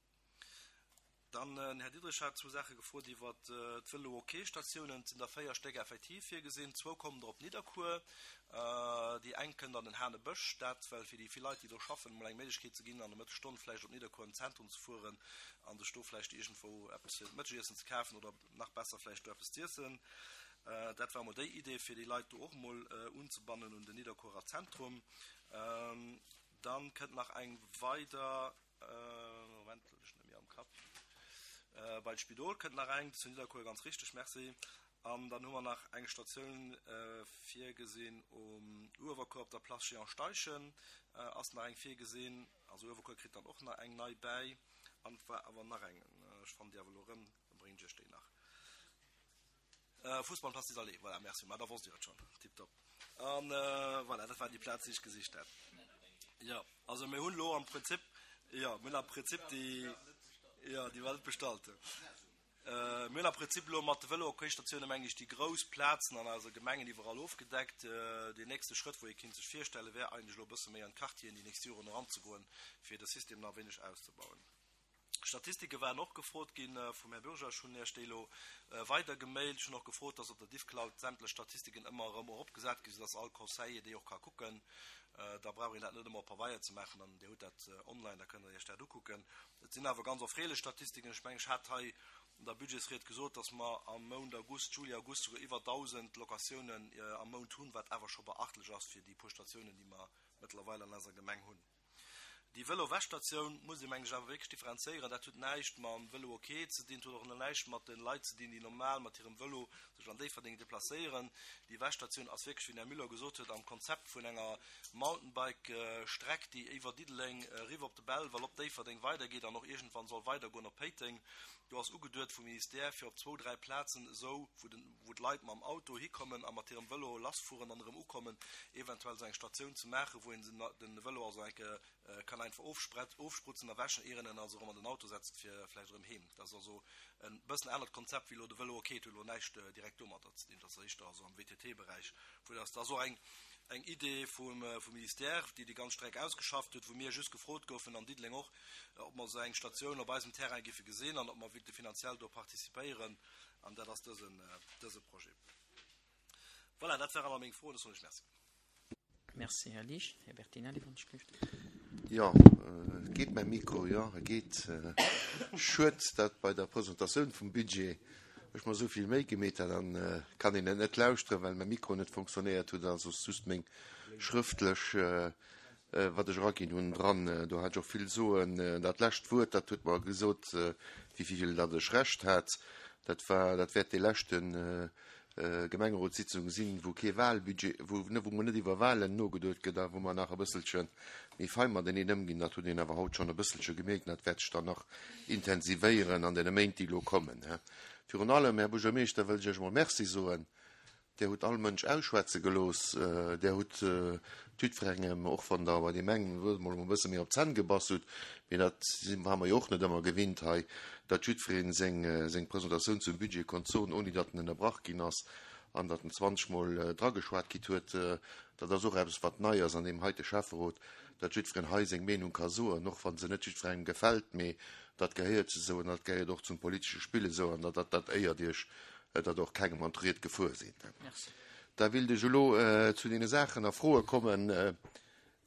Dann den Här Diderich hat zwou Saache gefrot iwwer d'Vëlo-OK-Statiounen. Et sinn der véier Stéck effektiv virgesinn. Zwou kommen der op Nidderkuer, déi eng kënnt an den Hanebësch. Dat well fir déi vill Leit, déi do schaffen, emol eng Méiglechkeet ze ginn, an der Mëttesstonn vläicht op Nidderkuer an d'Zentrum ze fueren a sech do vläicht iergendwou eppes fir d'Mëttegiessen ze kafen oder nach besser vläicht do eppes z'iessen. Dat war emol déi Idee, fir déi Leit do och emol unzebannen un den Nidderkuerer Zentrum. Dann kënnt nach eng weider, Moment, ech net méi am Kapp, bei d'Spidol kënnt nach eng, zu Nidderkuer, ganz richteg, merci. An dann hu mer nach eng Statioun virgesinn um Uewerkuer op der Place Jehan Steichen ass nach eng virgesinn. Also Uewerkuer kritt dann och nach eng nei bäi. An et war awer nach eng, ech fannen déi awer elo erëm, da bréngen ech iech déi nach. Fussball Place des Allées, voilà, merci, ma da wosst Dir et schonn, tiptop. An voilà, dat waren déi Plazen, déi ech gesicht hat. Jo, also mir hunn elo am Prinzip, jo, mir hunn am Prinzip déi, jo, déi war net bestallt. Mir hunn am Prinzip elo mat de Vëlo-OK-Statiounen, meng ech, déi grouss Plazen an eiser Gemengen iwwerall ofgedeckt. Deen nächste Schrëtt, wou ee kinnt sech virstellen, wär eigentlech elo e bësse méi an d'Quartieren déi nächst Joren eranzegoen, fir de System nach e wéineg auszebauen. Statistike waren och gefrot gi vum Här Bürger. Ech hunn Iech déi elo weider gemailt. Ech hunn och gefrot, dass op der Diffcloud sämtlech Statistiken ëmmer erëm eropgesat ginn, soudass all Conseiller déi och ka kucken. Da brauch een dat net ëmmer op Pabeier ze maachen an Dir hutt dat online, da kënnt Der Iech dat ukucken. Et sinn awer ganz erfreelech Statistiken. Ech mengen, ech hat hei an der Budgetsried gesot, dass mer am Mount August, Juli, August souguer iwwer dausend Locatiounen am Mount hunn, wat awer scho beachtlech ass fir déi puer Statiounen, déi mer mëttlerweil an eiser Gemeng hunn. Déi Vëlo-Wäschstatioun muss ee mengen ech awer wierklech differenzéieren. Dat huet näischt mam Vëlo OK ze dinn, et huet och näischt mat de Leit ze dinn, déi normal mat hirem Vëlo sech an Déifferdeng deplacéieren. Déi Wäschstatioun ass wierklech, wéi den Här Müller gesot huet, am Konzept vun enger Mountainbike-Streck, déi iwwer Diddeleng eriwwer op de Belval, op Déifferdeng weidergeet an och iergendwann soll weidergoen op Péiteng. Do ass ugeduet vum Ministère, fir op zwou, dräi Plazen esou, wou d'Leit mam Auto hikommen a mat hirem Vëlo lassfueren an erëm ukommen, eventuell esou eng Statioun ze maachen, wou een de Vëlo also enke kann einfach ofsprutzen a wäschen, ier een en also erëm an den Auto setzt fir vläicht erëm heem. Dat ass also e bëssen anert Konzept wéi elo de Vëlo. Ok, et huet elo näischt direkt domadder ze dinn, dat ass éischter also am V T T-Beräich, vu dass dat ass och eng eng Idee vum vum Ministère, déi déi ganz Streck ausgeschafft huet, wou mir just gefrot goufen an Diddeleng och, ob mer esou eng Statioun op eisem Terrain géife gesinn an ob mer wéilte finanziell do participéieren, an dat ass dësen dëse Projet. Voilà, dat waren all meng Froen, da soen ech Merci. Merci, Här Liesch. Här Bertinelli vun Schrift. Jo, geet mäi Mikro? Jo, e geet. Schued, datt bei der Presentatioun vum Budget ech mer esou vill Méi gemeet hat, dann kann een et net lauschteren, well mäi Mikro net fonctionnéiert huet, also just meng schrëftlech, wat ech eraginn hunn, dran. Do hat ech och vill soen. Dat lescht Wuert, dat huet mer gesot, wéi vill datt ech Recht hat. Dat war, dat wäert dee leschten Gemengerotssitzung sinn, wou kee Wahlbudget, wou wou mer net iwwer Wahlen nogeduet gëtt a wou mer nach e bësselche méi fei mateneen ëmginn. Dat huet een awer haut schonn e bësselche gemierkt an dat wäert sech dann nach intensivéieren an deene Méint, déi elo kommen. Virun allem, Här Buergermeeschter, wëll ech Iech emol Merci soen. Dir hutt all Mënsch ausschwätze gelooss. Dir hutt jiddwerengem, och wann Der bei deem engen Wuert emol e bësse méi op d'Zänn gebass hutt, mee dat ware mer jo och net ëmmer gewinnt hei, datt jiddweree seng seng Presentatioun zum Budget konnt soen, ouni datt en ënnerbrach ginn ass an datt en zwanzeg Mol drageschwat kritt huet. Dat ass och eppes, wat nei ass an deem heite Schäfferot, datt jiddwereen hei seng Meenung ka soen, och wa se net jiddwerengem gefält, mee dat gehéiert esou an dat gehéiert och zum politesche Spill esou an dat dat éiert Iech, datt och kengem an d'Ried gefuer sidd. Da wéilt ech elo zu deene Saachen a Froe kommen,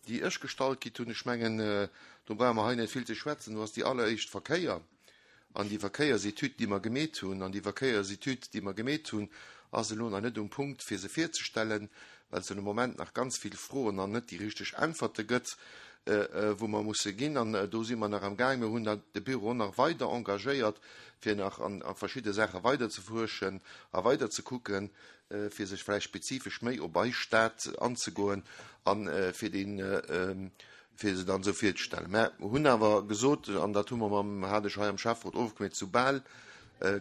déi ech gestallt kritt hunn. Ech mengen, do brauche mer hei net vill ze schwätzen. Do ass déi alleréischt Verkéier an déi Verkéiersetüd, déi mer gemeet hunn. An déi Verkéiersetüd, déi mer gemeet hunn, ass elo nach net um Punkt, fir se virzestellen, well se de Moment nach ganz vill Froen an net déi richteg Äntwerte gëtt, wou mer musse ginn. An do si mer nach am Gaang. Mir hunn da de Büro nach weider engagéiert, fir nach an a verschidde Saache weider ze fuerschen a weider ze kucken, fir sech vläicht spezifesch méi op eis Stad anzegoen an fir deen, fir se dann esou virzestellen. Mä hunn awer gesot, an dat hu mer mam, hat ech hei am Schäfferot ofgemeet, soubal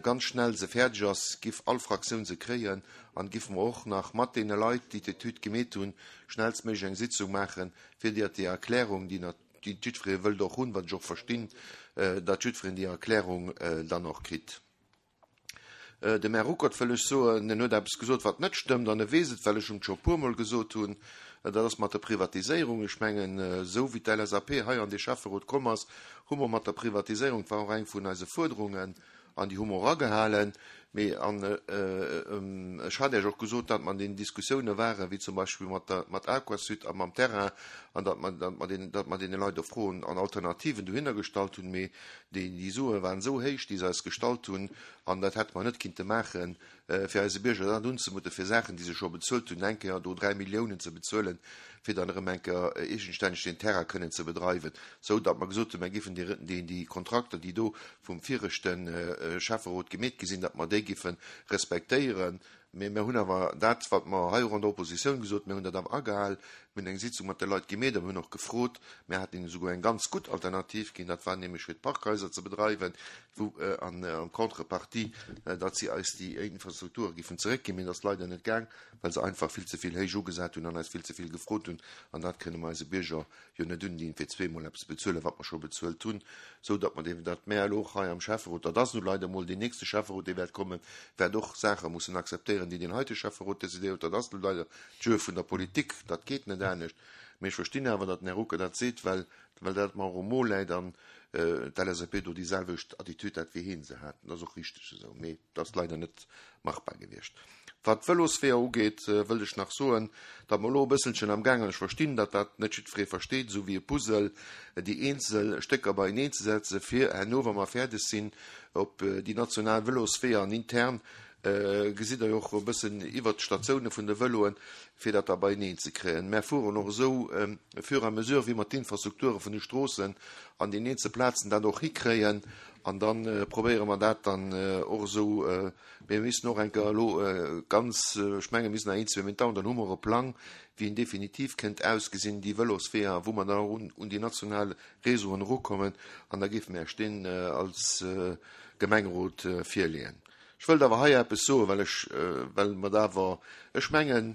ganz schnell se fäerdeg ass, giff all Fraktioun se kréien an giffe mer och nach mat deene Leit, déi d'Etüd gemeet hunn, schnellstméiglech eng Sitzung maachen, fir déi déi Erklärung, déi déi jiddweree wëllt och hunn, wat ech och verstinn, datt jiddwereen déi Erklärung dann och kritt. Dem Här Ruckert wëll ech soen, en huet eppes gesot, wat net stëmmt, an e weess et, well ech em et scho e puermol gesot hunn, dat ass mat der Privatiséierung. Ech mengen, esou wéi d'LSAP hei an dee Schäfferot komm ass, hu mer mat der Privatiséierung, dat war och eng vun eise Fuerderungen, an déi hu mer och agehalen, mee an ech hat Iech och gesot, datt mer an deenen Diskussioune waren, wéi zum Beispill mat der, mat Aquasud a mam Terrain, an datt mer, datt mer deenen, datt mer deene Leit och Froen an Alternativen dohinner gestallt hunn, mee déi, déi Sue waren esou héich, déi se eis gestallt hunn, an dat hätte mer net kinnte maachen, fir eise Bierger dat unzemuten, fir Saachen, déi se scho bezuelt hunn, eng Kéier do dräi Milliounen ze bezuelen, fir dann erëm eng Kéier eegenstänneg deen Terrain kënnen ze bedreiwen, sou datt mer gesot hunn, mer géifen déi, déi, déi Kontrakter, déi do vum viregte Schäfferot gemeet gi sinn, datt mer déi géife respektéieren. Mee mer hunn awer dat, wat mer hei och an der Oppositioun gesot, mir hunn dat awer agehal. Mir hunn eng Sitzung mat de Leit gemeet a mir hunn och gefrot, mir haten hinnen esouguer eng ganz gutt Alternativ ginn, dat war nämlech fir d'Parkhaiser ze bedreiwen, wou an en contrepartie, datt si eis déi Infrastrukture géifen zeréckginn. Mee dat ass leider net gaang, well se einfach vill ze vill héich ugesat hunn an eis vill ze vill gefrot hunn. An dat kënne mer eise Bierger jo net undinn, fir zweemol eppes bezuelen, wat mer scho bezuelt hunn, sou datt mer dee, datt mär elo och hei am Schäfferot, dat ass nu leider emol deen nächste Schäfferot, dee wäert kommen, wäert och Saache mussen akzeptéieren, déi deen heite Schäfferot decidéiert huet. Dat ass nu leider d'Jeu vun der Politik, dat geet net anescht. Mee ech verstinn awer, datt den Här Rucker dat seet, well, well dat mer och um Mo läit an d'LSAP do déi selwecht Attitüd hat, wéi hien se hat. Dat ass och richteg esou, mee dat ass leider net machbar gewiescht. Wat d'Vëlosweeër ugeet, wëllt ech nach soen, datt mer elo e bësselchen amgaangen, ech verstinn, datt dat net jiddweree versteet, esou wéi e Puzzle, déi eenzel Stécker beieneen ze setzen, fir herno, wa mer fäerdeg sinn, op déi national Vëlosweeër an intern, gesitt Der jo och e bëssen iwwert d'Statioune vun de Vëloen, fir dat da beieneen ze kréien. Mär fueren och esou fur et à mesure, wéi mer d'Infrastrukture vun de Stroossen an den eenzel Plazen dat och hikréien. An da probéiere mer dat dann och esou. Mir missen och eng Kéier elo ganz, ech menge mir sinn nach een, zwee Méint da, an dann hu mer e Plang, wéi en definitiv kéint ausgesinn, déi Vëlosweeër, wou mer dann och un déi national Réseauen erukommen. An da géife mir Iech deen als Gemengerot virleeën. Ech wëllt awer hei eppes soen, well ech, well mer dat awer, ech mengen,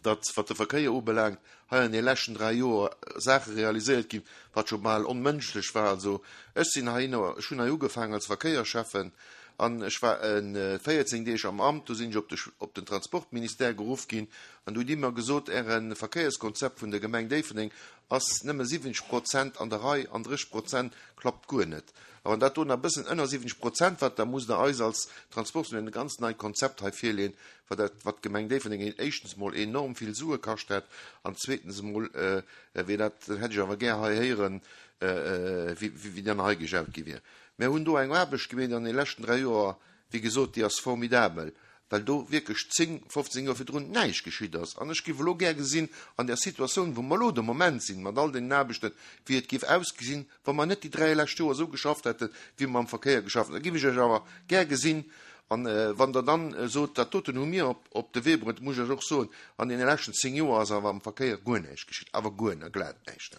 datt, wat de Verkéier ubelaangt, hei an de leschten dräi Joer Saache realiséiert ginn, wat scho bal onmënschlech war. Also ech sinn heihinner, ech hunn hei ugefaangen als Verkéierschäffen an ech war véierzéng Deeg am Amt, do sinn ech op de, op den Transportministère geruff ginn an do hu déi mer gesot, Äre Verkéierskonzept vun der Gemeng Déifferdeng ass nëmme siwwenzeg Prozent an der Rei an dréisseg Prozent klappt guer net. A wann dat do nach e bëssen ënner siwwenzeg Prozent war, da musst Der eis als Transportministère e ganz neit Konzept hei virleeën, wat dat, wat d'Gemeng Déifferdeng éischtens emol enorm vill Sue kascht hätt an zweetens emol wier dat, dat hätt ech awer gär hei héieren, wéi, wéi dann hei gejaut gi wier. Mir hunn do eng Aarbecht gemeet an de leschten dräi Joer, wéi gesot, déi ass formidabel, well do wierklech zéng, fofzéng Joer virdrun näischt geschitt ass. An ech géif elo gär gesinn, an där Situatioun, wou mer elo de Moment sinn, mat all deenen Aarbechten, wéi et géif ausgesinn, wa mer net déi dräi lescht Joer esou geschafft hätten, wéi mer am Verkéier geschafft hunn. Da géif ech Iech awer gär gesinn. An wann Der dann sot, dat doten hu mir op de Wee bruet, muss ech Iech och soen, an deene leschten zéng Joer ass awer am Verkéier guer näischt geschitt, awer guer, glat näischt.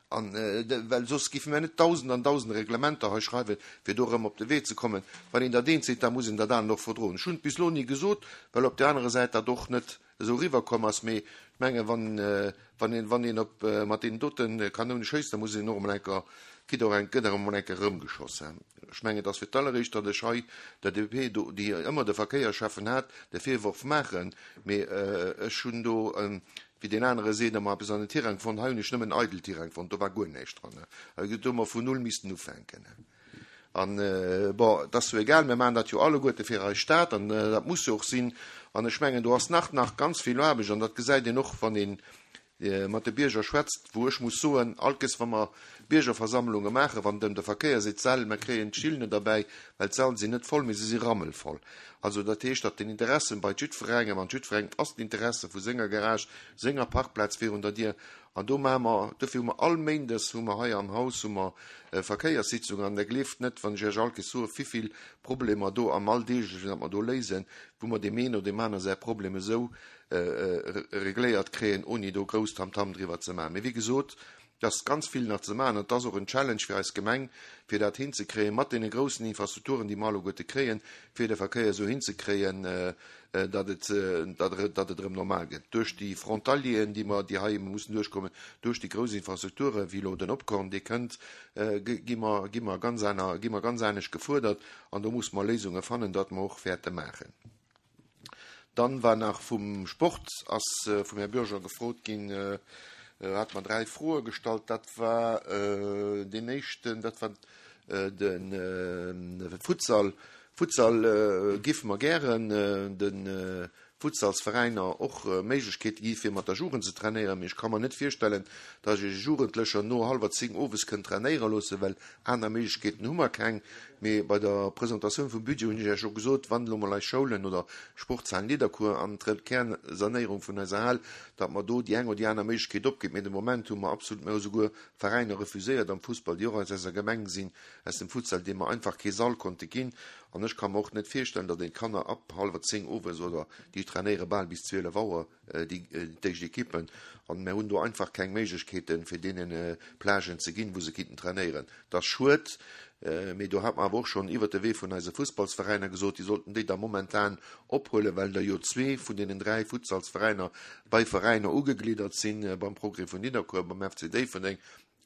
An well soss géife mir net Dausend an Dausende Reglementer hei schreiwen, fir do erëm op de Wee ze kommen. Wann een dat eent seet, da muss een dat anert och verdroen. Ech hunn et bis elo ni gesot, well op där anerer Säit dat och net esou eriwwerkomm ass. Mee ech menge wann, wann een, wann een op, mat deenen dote Kanoune schéisst, da muss een och emol eng Kéier, kritt och eng, gëtt och emol eng Kéier erëmgeschoss. Ech mengen, et ass fir d'alleréischt, datt ech hei der D P do, déi ëmmer de Verkéierscheffen hat, de Virworf maachen. Mee ech hunn do, wéi deen anere seet, ëmmer eppes an den Tirang fonnt. Hei hunn ech nëmmen eidel Tirang fonnt, do war guer näischt dran. Do hu mer vun null missten ufänken. An, bon, et ass jo egal, mir maachen dat jo alleguerte fir eis Stad an dat muss jo och sinn. An ech mengen, do ass nach nach ganz vill Aarbecht an dat gesäit een och, wann ee mat de Bierger schwätzt, wou ech muss soen, allkes wa mer Biergerversammlunge maachen, wann et ëm de Verkéier seet, d'Säll, mer kréien d'Still net erbäi, well d'Säll sinn net voll, mee se si rammelvoll. Also dat heescht, datt den Interesse bei jiddwerengem, an jiddwerengem ass d'Interesse vu senger Garage, senger Parkplaz virun der Dier, an do maache mer, dofir hu mer all Méindes hu mer hei am Haus hu mer Verkéierssitzungen, an Der gleeft net, wann ech Iech allkes soe wivill Problemer do am Alldeeglechen, dat mer do léisen, wou mer deem een oder deem aner säi Problem esou regléiert kréien, ouni do grouss Tamtam driwwer ze maachen. Mee wéi gesot, Et ass ganz vill nach ze maachen an et ass och en Challenge fir eis Gemeng, fir dat hinzekréien, mat deene groussen Infrastrukturen, déi mer alleguerte kréien, fir de Verkéier esou hinzekréien, datt et, datt et erëm normal gëtt. Duerch déi Frontalieren, déi mer, déi hei mussen duerchkommen, duerch déi grouss Infrastrukture wéi elo den Opkorn, dee kënnt, gi mer, gi mer ganz aner, gi mer ganz anescht gefuerdert an do musse mer Léisunge fannen, dat mer och wäerte maachen. Dann war nach vum Sport, ass vum Här Bürger gefrot ginn, hat mer dräi Froe gestallt. Dat war deen éischten, dat war de Futsal. Futsal géife mer gären de Futsalsveräiner och Méiglechkeete gi fir mat der Jugend ze trainéieren. Mee ech ka mer net virstellen, datt ech e Jugendlecher no hallwer zéng owes kënnt trainéiere loossen, well aner Méiglechkeeten hu mer keng. Mee bei der Presentatioun vum Budget hunn ech Iech och gesot, wann elo mol eis Schoulen oder Sportshalen Nidderkuer an d'Kernsanéierung vun eiser Hal, datt mer do déi eng oder déi aner Méiglechkeet opginn. Mee de Moment hu mer absolut, mer hu souguer Veräiner refuséiert am Fussball, déi och aus eiser Gemeng sinn, aus dem Futsal, deem mer einfach kee Sall konnte ginn. An ech ka mer och net virstellen, datt een d'Kanner ab hallwer zéng owes oder déi trainéiere bal bis zwielef Auer, déi d'éischt Ekippen, an mer hunn do einfach keng Méiglechkeeten, fir deenen Plagen ze ginn, wou se kinnten trainéieren. Dat ass schued, mee do hat mer awer och schonn iwwert de Wee vun eise Fussballsveräiner gesot, déi sollten déi da momentan ophuelen, well der jo zwee vun deenen dräi Futsalsveräiner bei Veräiner ugegliddert sinn, beim Progrès vun Nidderkuer, beim F C Déifferdeng.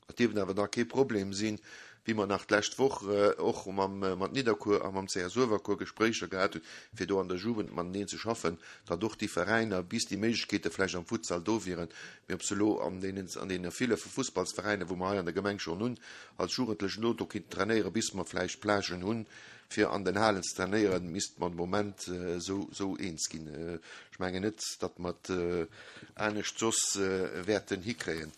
Dat dierft awer da kee Problem sinn, wéi mer nach d'lescht Woch och mam, mat Nidderkuer a mam C S Uewerkuer Gespréicher gehat hunn, fir do an der Jugend mateneen ze schaffen, datt och déi Veräiner, bis déi Méiglechkeete vläicht am Futsal do wieren, mee ob se elo an deenen, an deene ville Fussballsveräiner, wou mer hei an der Gemeng schonn hunn, als Jugendlechen do, do kinnten trainéieren, bis mer vläicht Plagen hunn, fir an den Halen ze trainéieren, misst man de Moment esou, esou eens ginn. Ech mengen net, datt mer et anescht soss wäerten hikréien.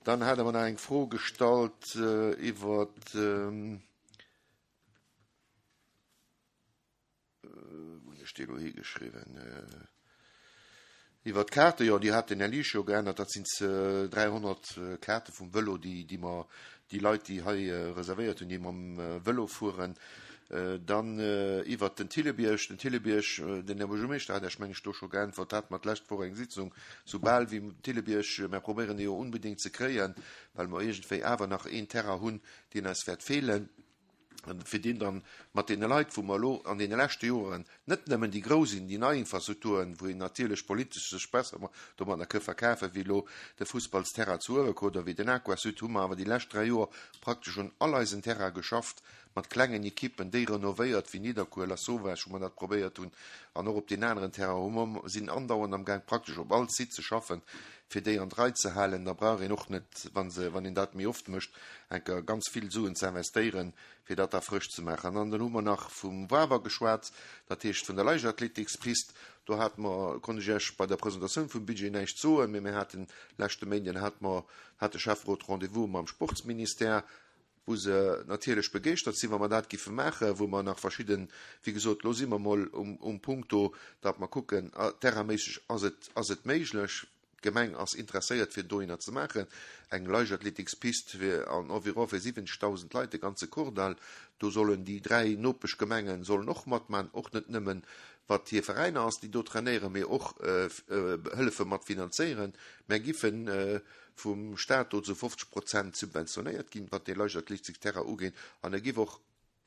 Dann hat er mir noch eng Fro gestallt, äh, iwwer, ähm, äh, wo hunn ech déi elo higeschriwwen? Äh, iwwer d'Karte, jo, déi hat den Här Liesch jo geännert, dat sinn, äh, dräihonnert, äh, Karte vum Vëlo, déi, déi mer, déi Leit, déi hei, äh, reservéiert hunn, déi mam, äh, Vëlo fueren. Äh, dann, äh, iwwer den Thillebierg, den Thillebierg, äh, den Här Buergermeeschter hat, ech meng, ech do scho geäntwert, hat mat d'lescht Woch eng Sitzung, soubal wéi Thillebierg, mir probéieren dee jo unbedingt ze kréien, well mer iergendwéi awer nach een Terrain hunn, deen eis wäert feelen, fir deen dann mat deene Leit, wou mer elo an deene leschte Joren net nëmmen déi grouss sinn, déi nei Infrastrukturen, wou een natierlech politesch sech besser domadder ka verkafen, wéi elo de Fussballsterrain zu Uewerkuer oder wéi den Aquasud, hu mer awer déi lescht dräi Joer praktesch un all eisen Terrain geschafft, mat klengen Ekippen, déi renovéiert, wéi Nidderkuer, La Sauvage, wou mer dat probéiert hunn, an och op den anderen Terrain, hu mer sinn andauernd am Gang praktesch op all Site ze schaffen, fir déi an d'Rei ze halen. Da brauch een och net, wann se, wann een dat méi oft mécht, enker ganz vill Suen ze investéieren, fir dat da frësch ze maachen. An dann hu mer nach vum Wawer geschwat, dat heescht vun der Leichtathletikspist. Do hat mer, konnt ech Iech bei der Presentatioun vum Budget näischt soen, mee mir haten leschte Méinden hat mer, hat de Schäfferot Rendez-vous mam Sportsministère, wou se natierlech begeeschtert sinn, wa mer dat giffe maachen, wou mer nach verschidden, wéi gesot, lo si mer mol um, um Punkt do, datt mer kucken, ah, terrainméisseg ass et, ass et méiglech. D'Gemeng ass interesséiert, fir dohinner ze maachen. Eng Leichtathletikspist fir an environ fir siwwenzegtausend Leit, de ganze Kordall. Do sollen déi dräi Nopeschgemengen sollen och matmachen, och net nëmmen, wat hir Veräiner ass, déi do trainéieren, mee och, äh, äh, hëllefe mat finanzéieren. Mer giffen, äh, vum Staat do zu fofzeg Prozent subventionéiert ginn, wat déi Leichtathletiksterrain ugeet. An er giff och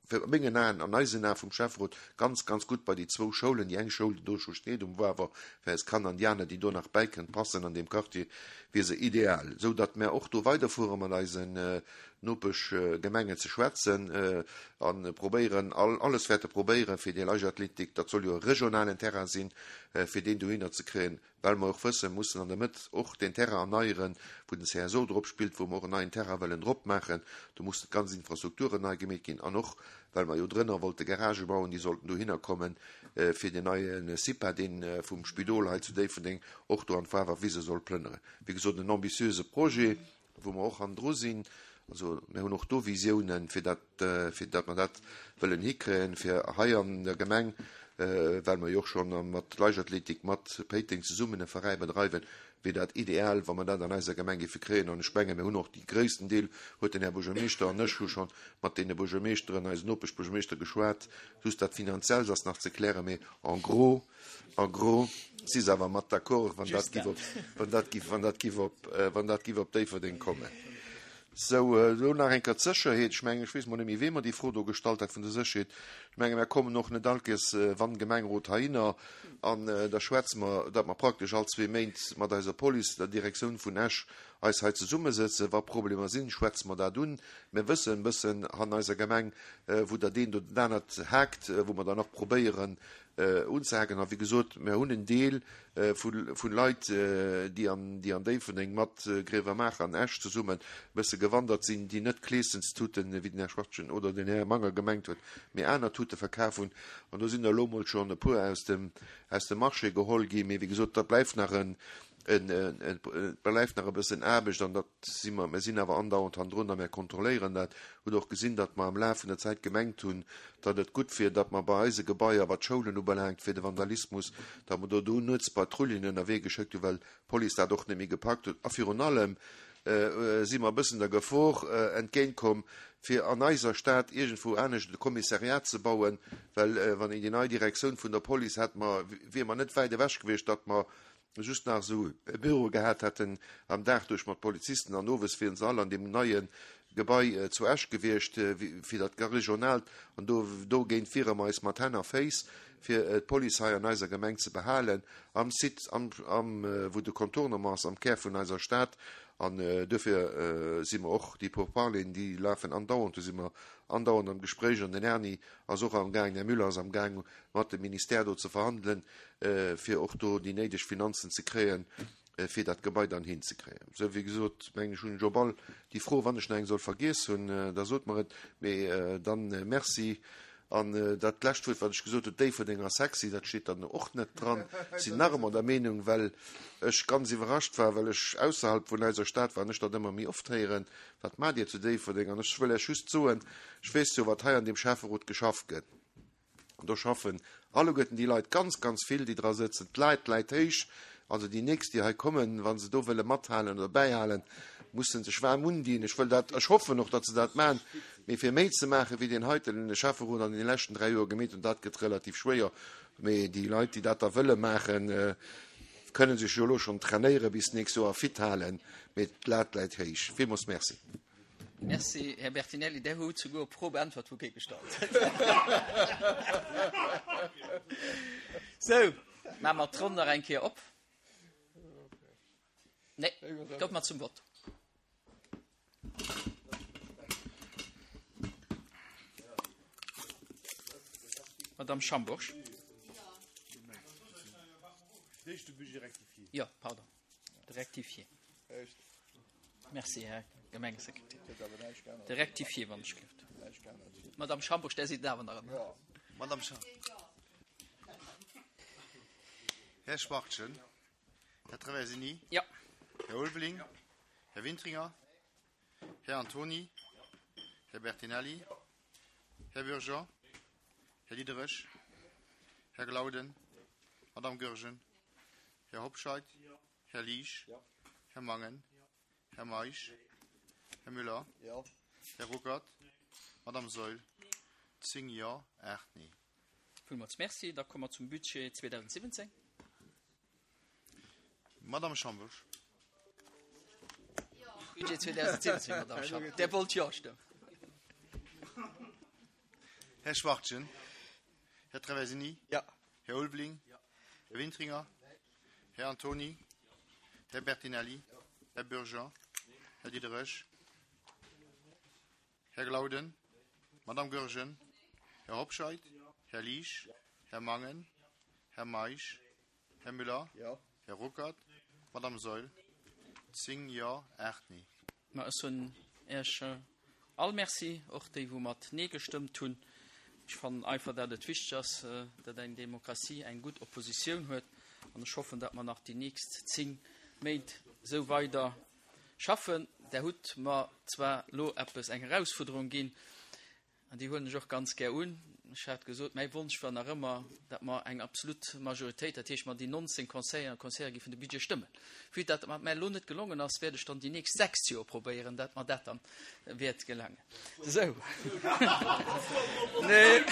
fir mengen Aen an eisen Aen vum Schäfferot ganz, ganz gut bei déi zwou Schoulen, déi eng Schoul, déi do scho steet um Wawer, fir eis Kanner an déi aner, déi do nach bäikënnt, passen an dem Quartier, wier se ideal, sou datt mer och do weiderfuere mat eisen, äh, Nopeschgemengen ze schwätzen, äh, an probéieren, all, alles wäerte probéieren fir déi Leichtathletik, dat soll jo e regionalen Terrain sinn, äh, fir deen dohinner ze kréien, well mer och wëssen, mussen an der Mëtt och den Terrain erneieren, wou den C S O drop spillt, wou mer och en neien Terrain wëllen drop maachen. Do mussen d'ganz Infrastrukturen nei gemeet ginn an och, well mer jo drënner wollte Garage bauen, déi sollten dohinner kommen, äh, fir den neien SIPA, deen, äh, vum Spidol hei zu Déifferdeng och do an d'Wawerwise soll plënnere. Wéi gesot, en ambitiöse Projet, wou mer och an dru sinn. Also, mir hunn och do Visiounen, fir dat, äh, fir dat mer dat wëllen hikréien, fir hei an der Gemeng, äh, well mer jo och schon mat Leichtathletik, mat Péiteng zesummen e Veräin bedreiwen, wier dat ideal, wa mer dat an eiser Gemeng giffe kréien. An ech menge, mir hunn och die gréissten Deel, huet den Här Buergermeeschter an ech hu schon mat deene Buergermeeschteren, eisen Nopeschbuergermeeschter geschwat, just dat finanziell ass nach ze klären, mee en gros, en gros, si se awer mat d'accord, wann dat Just giff op, wann dat giff, wann dat giff op, äh, wann dat giff op Déifferdeng kommen. Sou, elo nach eng Kéier d'Sécherheet. Ech mengen, ech weess mol net méi, wee mer déi Fro do gestallt hat vun der Sécherheet. Ech menge mer kommen och net all Kéiers, wann Gemengerot heihinner, an da schwätze mer, datt mer praktesch all zwee Méint mat eiser Police, der Direktioun vun Esch, eis hei zesummesëtzen. Wa Problemer sinn, schwätze mer dat un. Mir wëssen e bëssen an eiser Gemeng, wou dat eent oder dat anert haakt, wou mer dann och probéieren unzehaken. A wéi gesot, mir hunn en Deel vu Leit, déi an déi an Déifferdeng mat Grevermaacher an Esch zesummen e bësse gewandert sinn, déi net Kleeschenstuten, wéi den Här Schwachtgen oder den Här Manger gemengt huet, mee aner Tute verkaf hunn. An do sinn der elo emol schonn e puer aus dem aus dem Marché geholl ginn. Mee wéi gesot, dat bleift nach en Et bleift nach e bëssen Aarbecht an dat si mer, mir sinn awer andauernd hannendrun a mir kontrolléieren dat. Hutt och gesinn, datt mer am Laf vun der Zäit gemengt hunn, datt et gutt wier, datt mer bei eise Gebaier, wat d'Schoulen ubelaangt, fir de Vandalismus, datt mer do do nuets Patrullen ënnerwee geschéckt hunn, well d'Police dat och net méi gepackt huet. A virun allem si mer e bëssen der Gefor entgéintkomm, fir an eiser Stad iergendwou anescht e Kommissariat ze bauen, well wann een déi nei Direktioun vun der Police hätt mer, wier mer net wäit ewech gewiescht, datt mer just nach esou e Büro gehat hätten am Dag duerch mat Polizisten an owes wieren se all an deem neie Gebai zu Esch gewiescht fir dat Regionaalt an do dogéint wiere mer eis mat Hänn a Féiss fir d'Police hei an eiser Gemeng ze behalen am Site am am wou de Contournement ass am Kär vun eiser Stad an duerfir si mer och déi Pourparleren déi lafen andauernd do si mer andauernd am Gespréich an den Erni ass och amgaang den Här Müller ass amgaang mat dem Ministère do ze verhandelen fir och do déi néideg Finanzen ze kréien, fir dat Gebai dann hinzekréien. Sou, wéi gesot, mengen ech, hunn ech op all déi Fro, wann ech nach eng soll vergiess hunn, da sot mer et, mee dann Merci. An dat lescht Wuert, wat ech gesot hunn, Déifferdeng ass sexy, dat steet dann och net dran. Sinn nach ëmmer der Meenung, well ech ganz iwwerrascht war, well ech ausserhalb vun eiser Stad war an ech dat ëmmer méi oft héieren, Wat maacht Dir zu Déifferdeng? An ech wëll Iech just soen, ech weess jo, wat hei an deem Schäfferot geschafft gëtt. An do schaffen alleguerten déi Leit ganz, ganz vill, déi dra sëtzen. D'Leit läit héich. Also déi nächst, déi hei kommen, wa se do wëlle mathalen oder bäihalen, mussen sech waarm undinn. Ech wëll dat, ech hoffen och, datt se dat maachen. Mee fir méi ze maachen, wéi deen heiten Schäfferot an deene leschten dräi Joer gemeet hunn, dat gëtt relativ schwéier. Mee déi Leit, déi dat da wëlle maachen, kënne sech jo elo schonn trainéiere bis d'nächst Joer a fit halen. Mee d'Lat läit héich. Villmools Merci. Merci, Här Bertinelli. Där hutt souguer op d'Fro beäntwert, wou kee gestallt huet. Sou, maache mer d'Ronn nach eng Kéier op. Nee, kommt mer zum Vott. Madame Schambourg. Jo, pardon, de Rectifié. Merci, Här Gemengesekretär. De Rectifié, wann ech gelift. Madame Schambourg, där sidd awer nach ëmmer. Madame Schambourg. Här Schwachtgen. Här Traversini. Ja. Här Ulveling. Här Wintringer. Här Antoni. Här Bertinelli. Här Bürger. Här Diderich. Här Glauden. Madame Goergen. Här Hobscheit. Här Liesch. Här Mangen. Här Meisch. Här Müller. Här Ruckert. Madame Saeul. Zéng Jo, aacht Nee. Villmools Merci. Da komme mer zum Budget zweedausendsiwwenzéng. Madame Schambusch. Budget zweedausendsiwwenzéng, Madame Schambusch. Där wollt Jo stëmmen. Här Schwachtgen. Här Traversini. Ja. Här Ulveling. Här Wintringer. Här Antoni. Här Bertinelli. Här Bürger. Här Diderich. Här Glauden. Madame Goergen. Här Hobscheit. Här Liesch. Här Mangen. Här Meisch. Här Müller. Här Ruckert. Madame Saeul. Zéng Jo, aacht Nee. Ma ech soen Iech all Merci, och déi wou mat Nee gestëmmt hunn. Ech fannen einfach, dat et wichteg ass, dat eng Demokratie eng gutt Oppositioun huet. An ech hoffen, dat mer nach déi nächst zéng Méint esou weider schaffen. Der hutt mer zwar elo eppes, eng Erausfuerderung ginn, an déi huelen ech och ganz gär un. Ech hat gesot, mäi Wonsch war nach ëmmer, datt mer eng absolut Majoritéit, dat heescht mer déi nonzéng Conseilleren a Conseillere géifen de Budget stëmmen. Vue dat dat mer elo net gelongen ass, wäert ech dann déi nächst sechs Joer probéieren, dat mer dat dann wäert gelangen. Esou. Nee.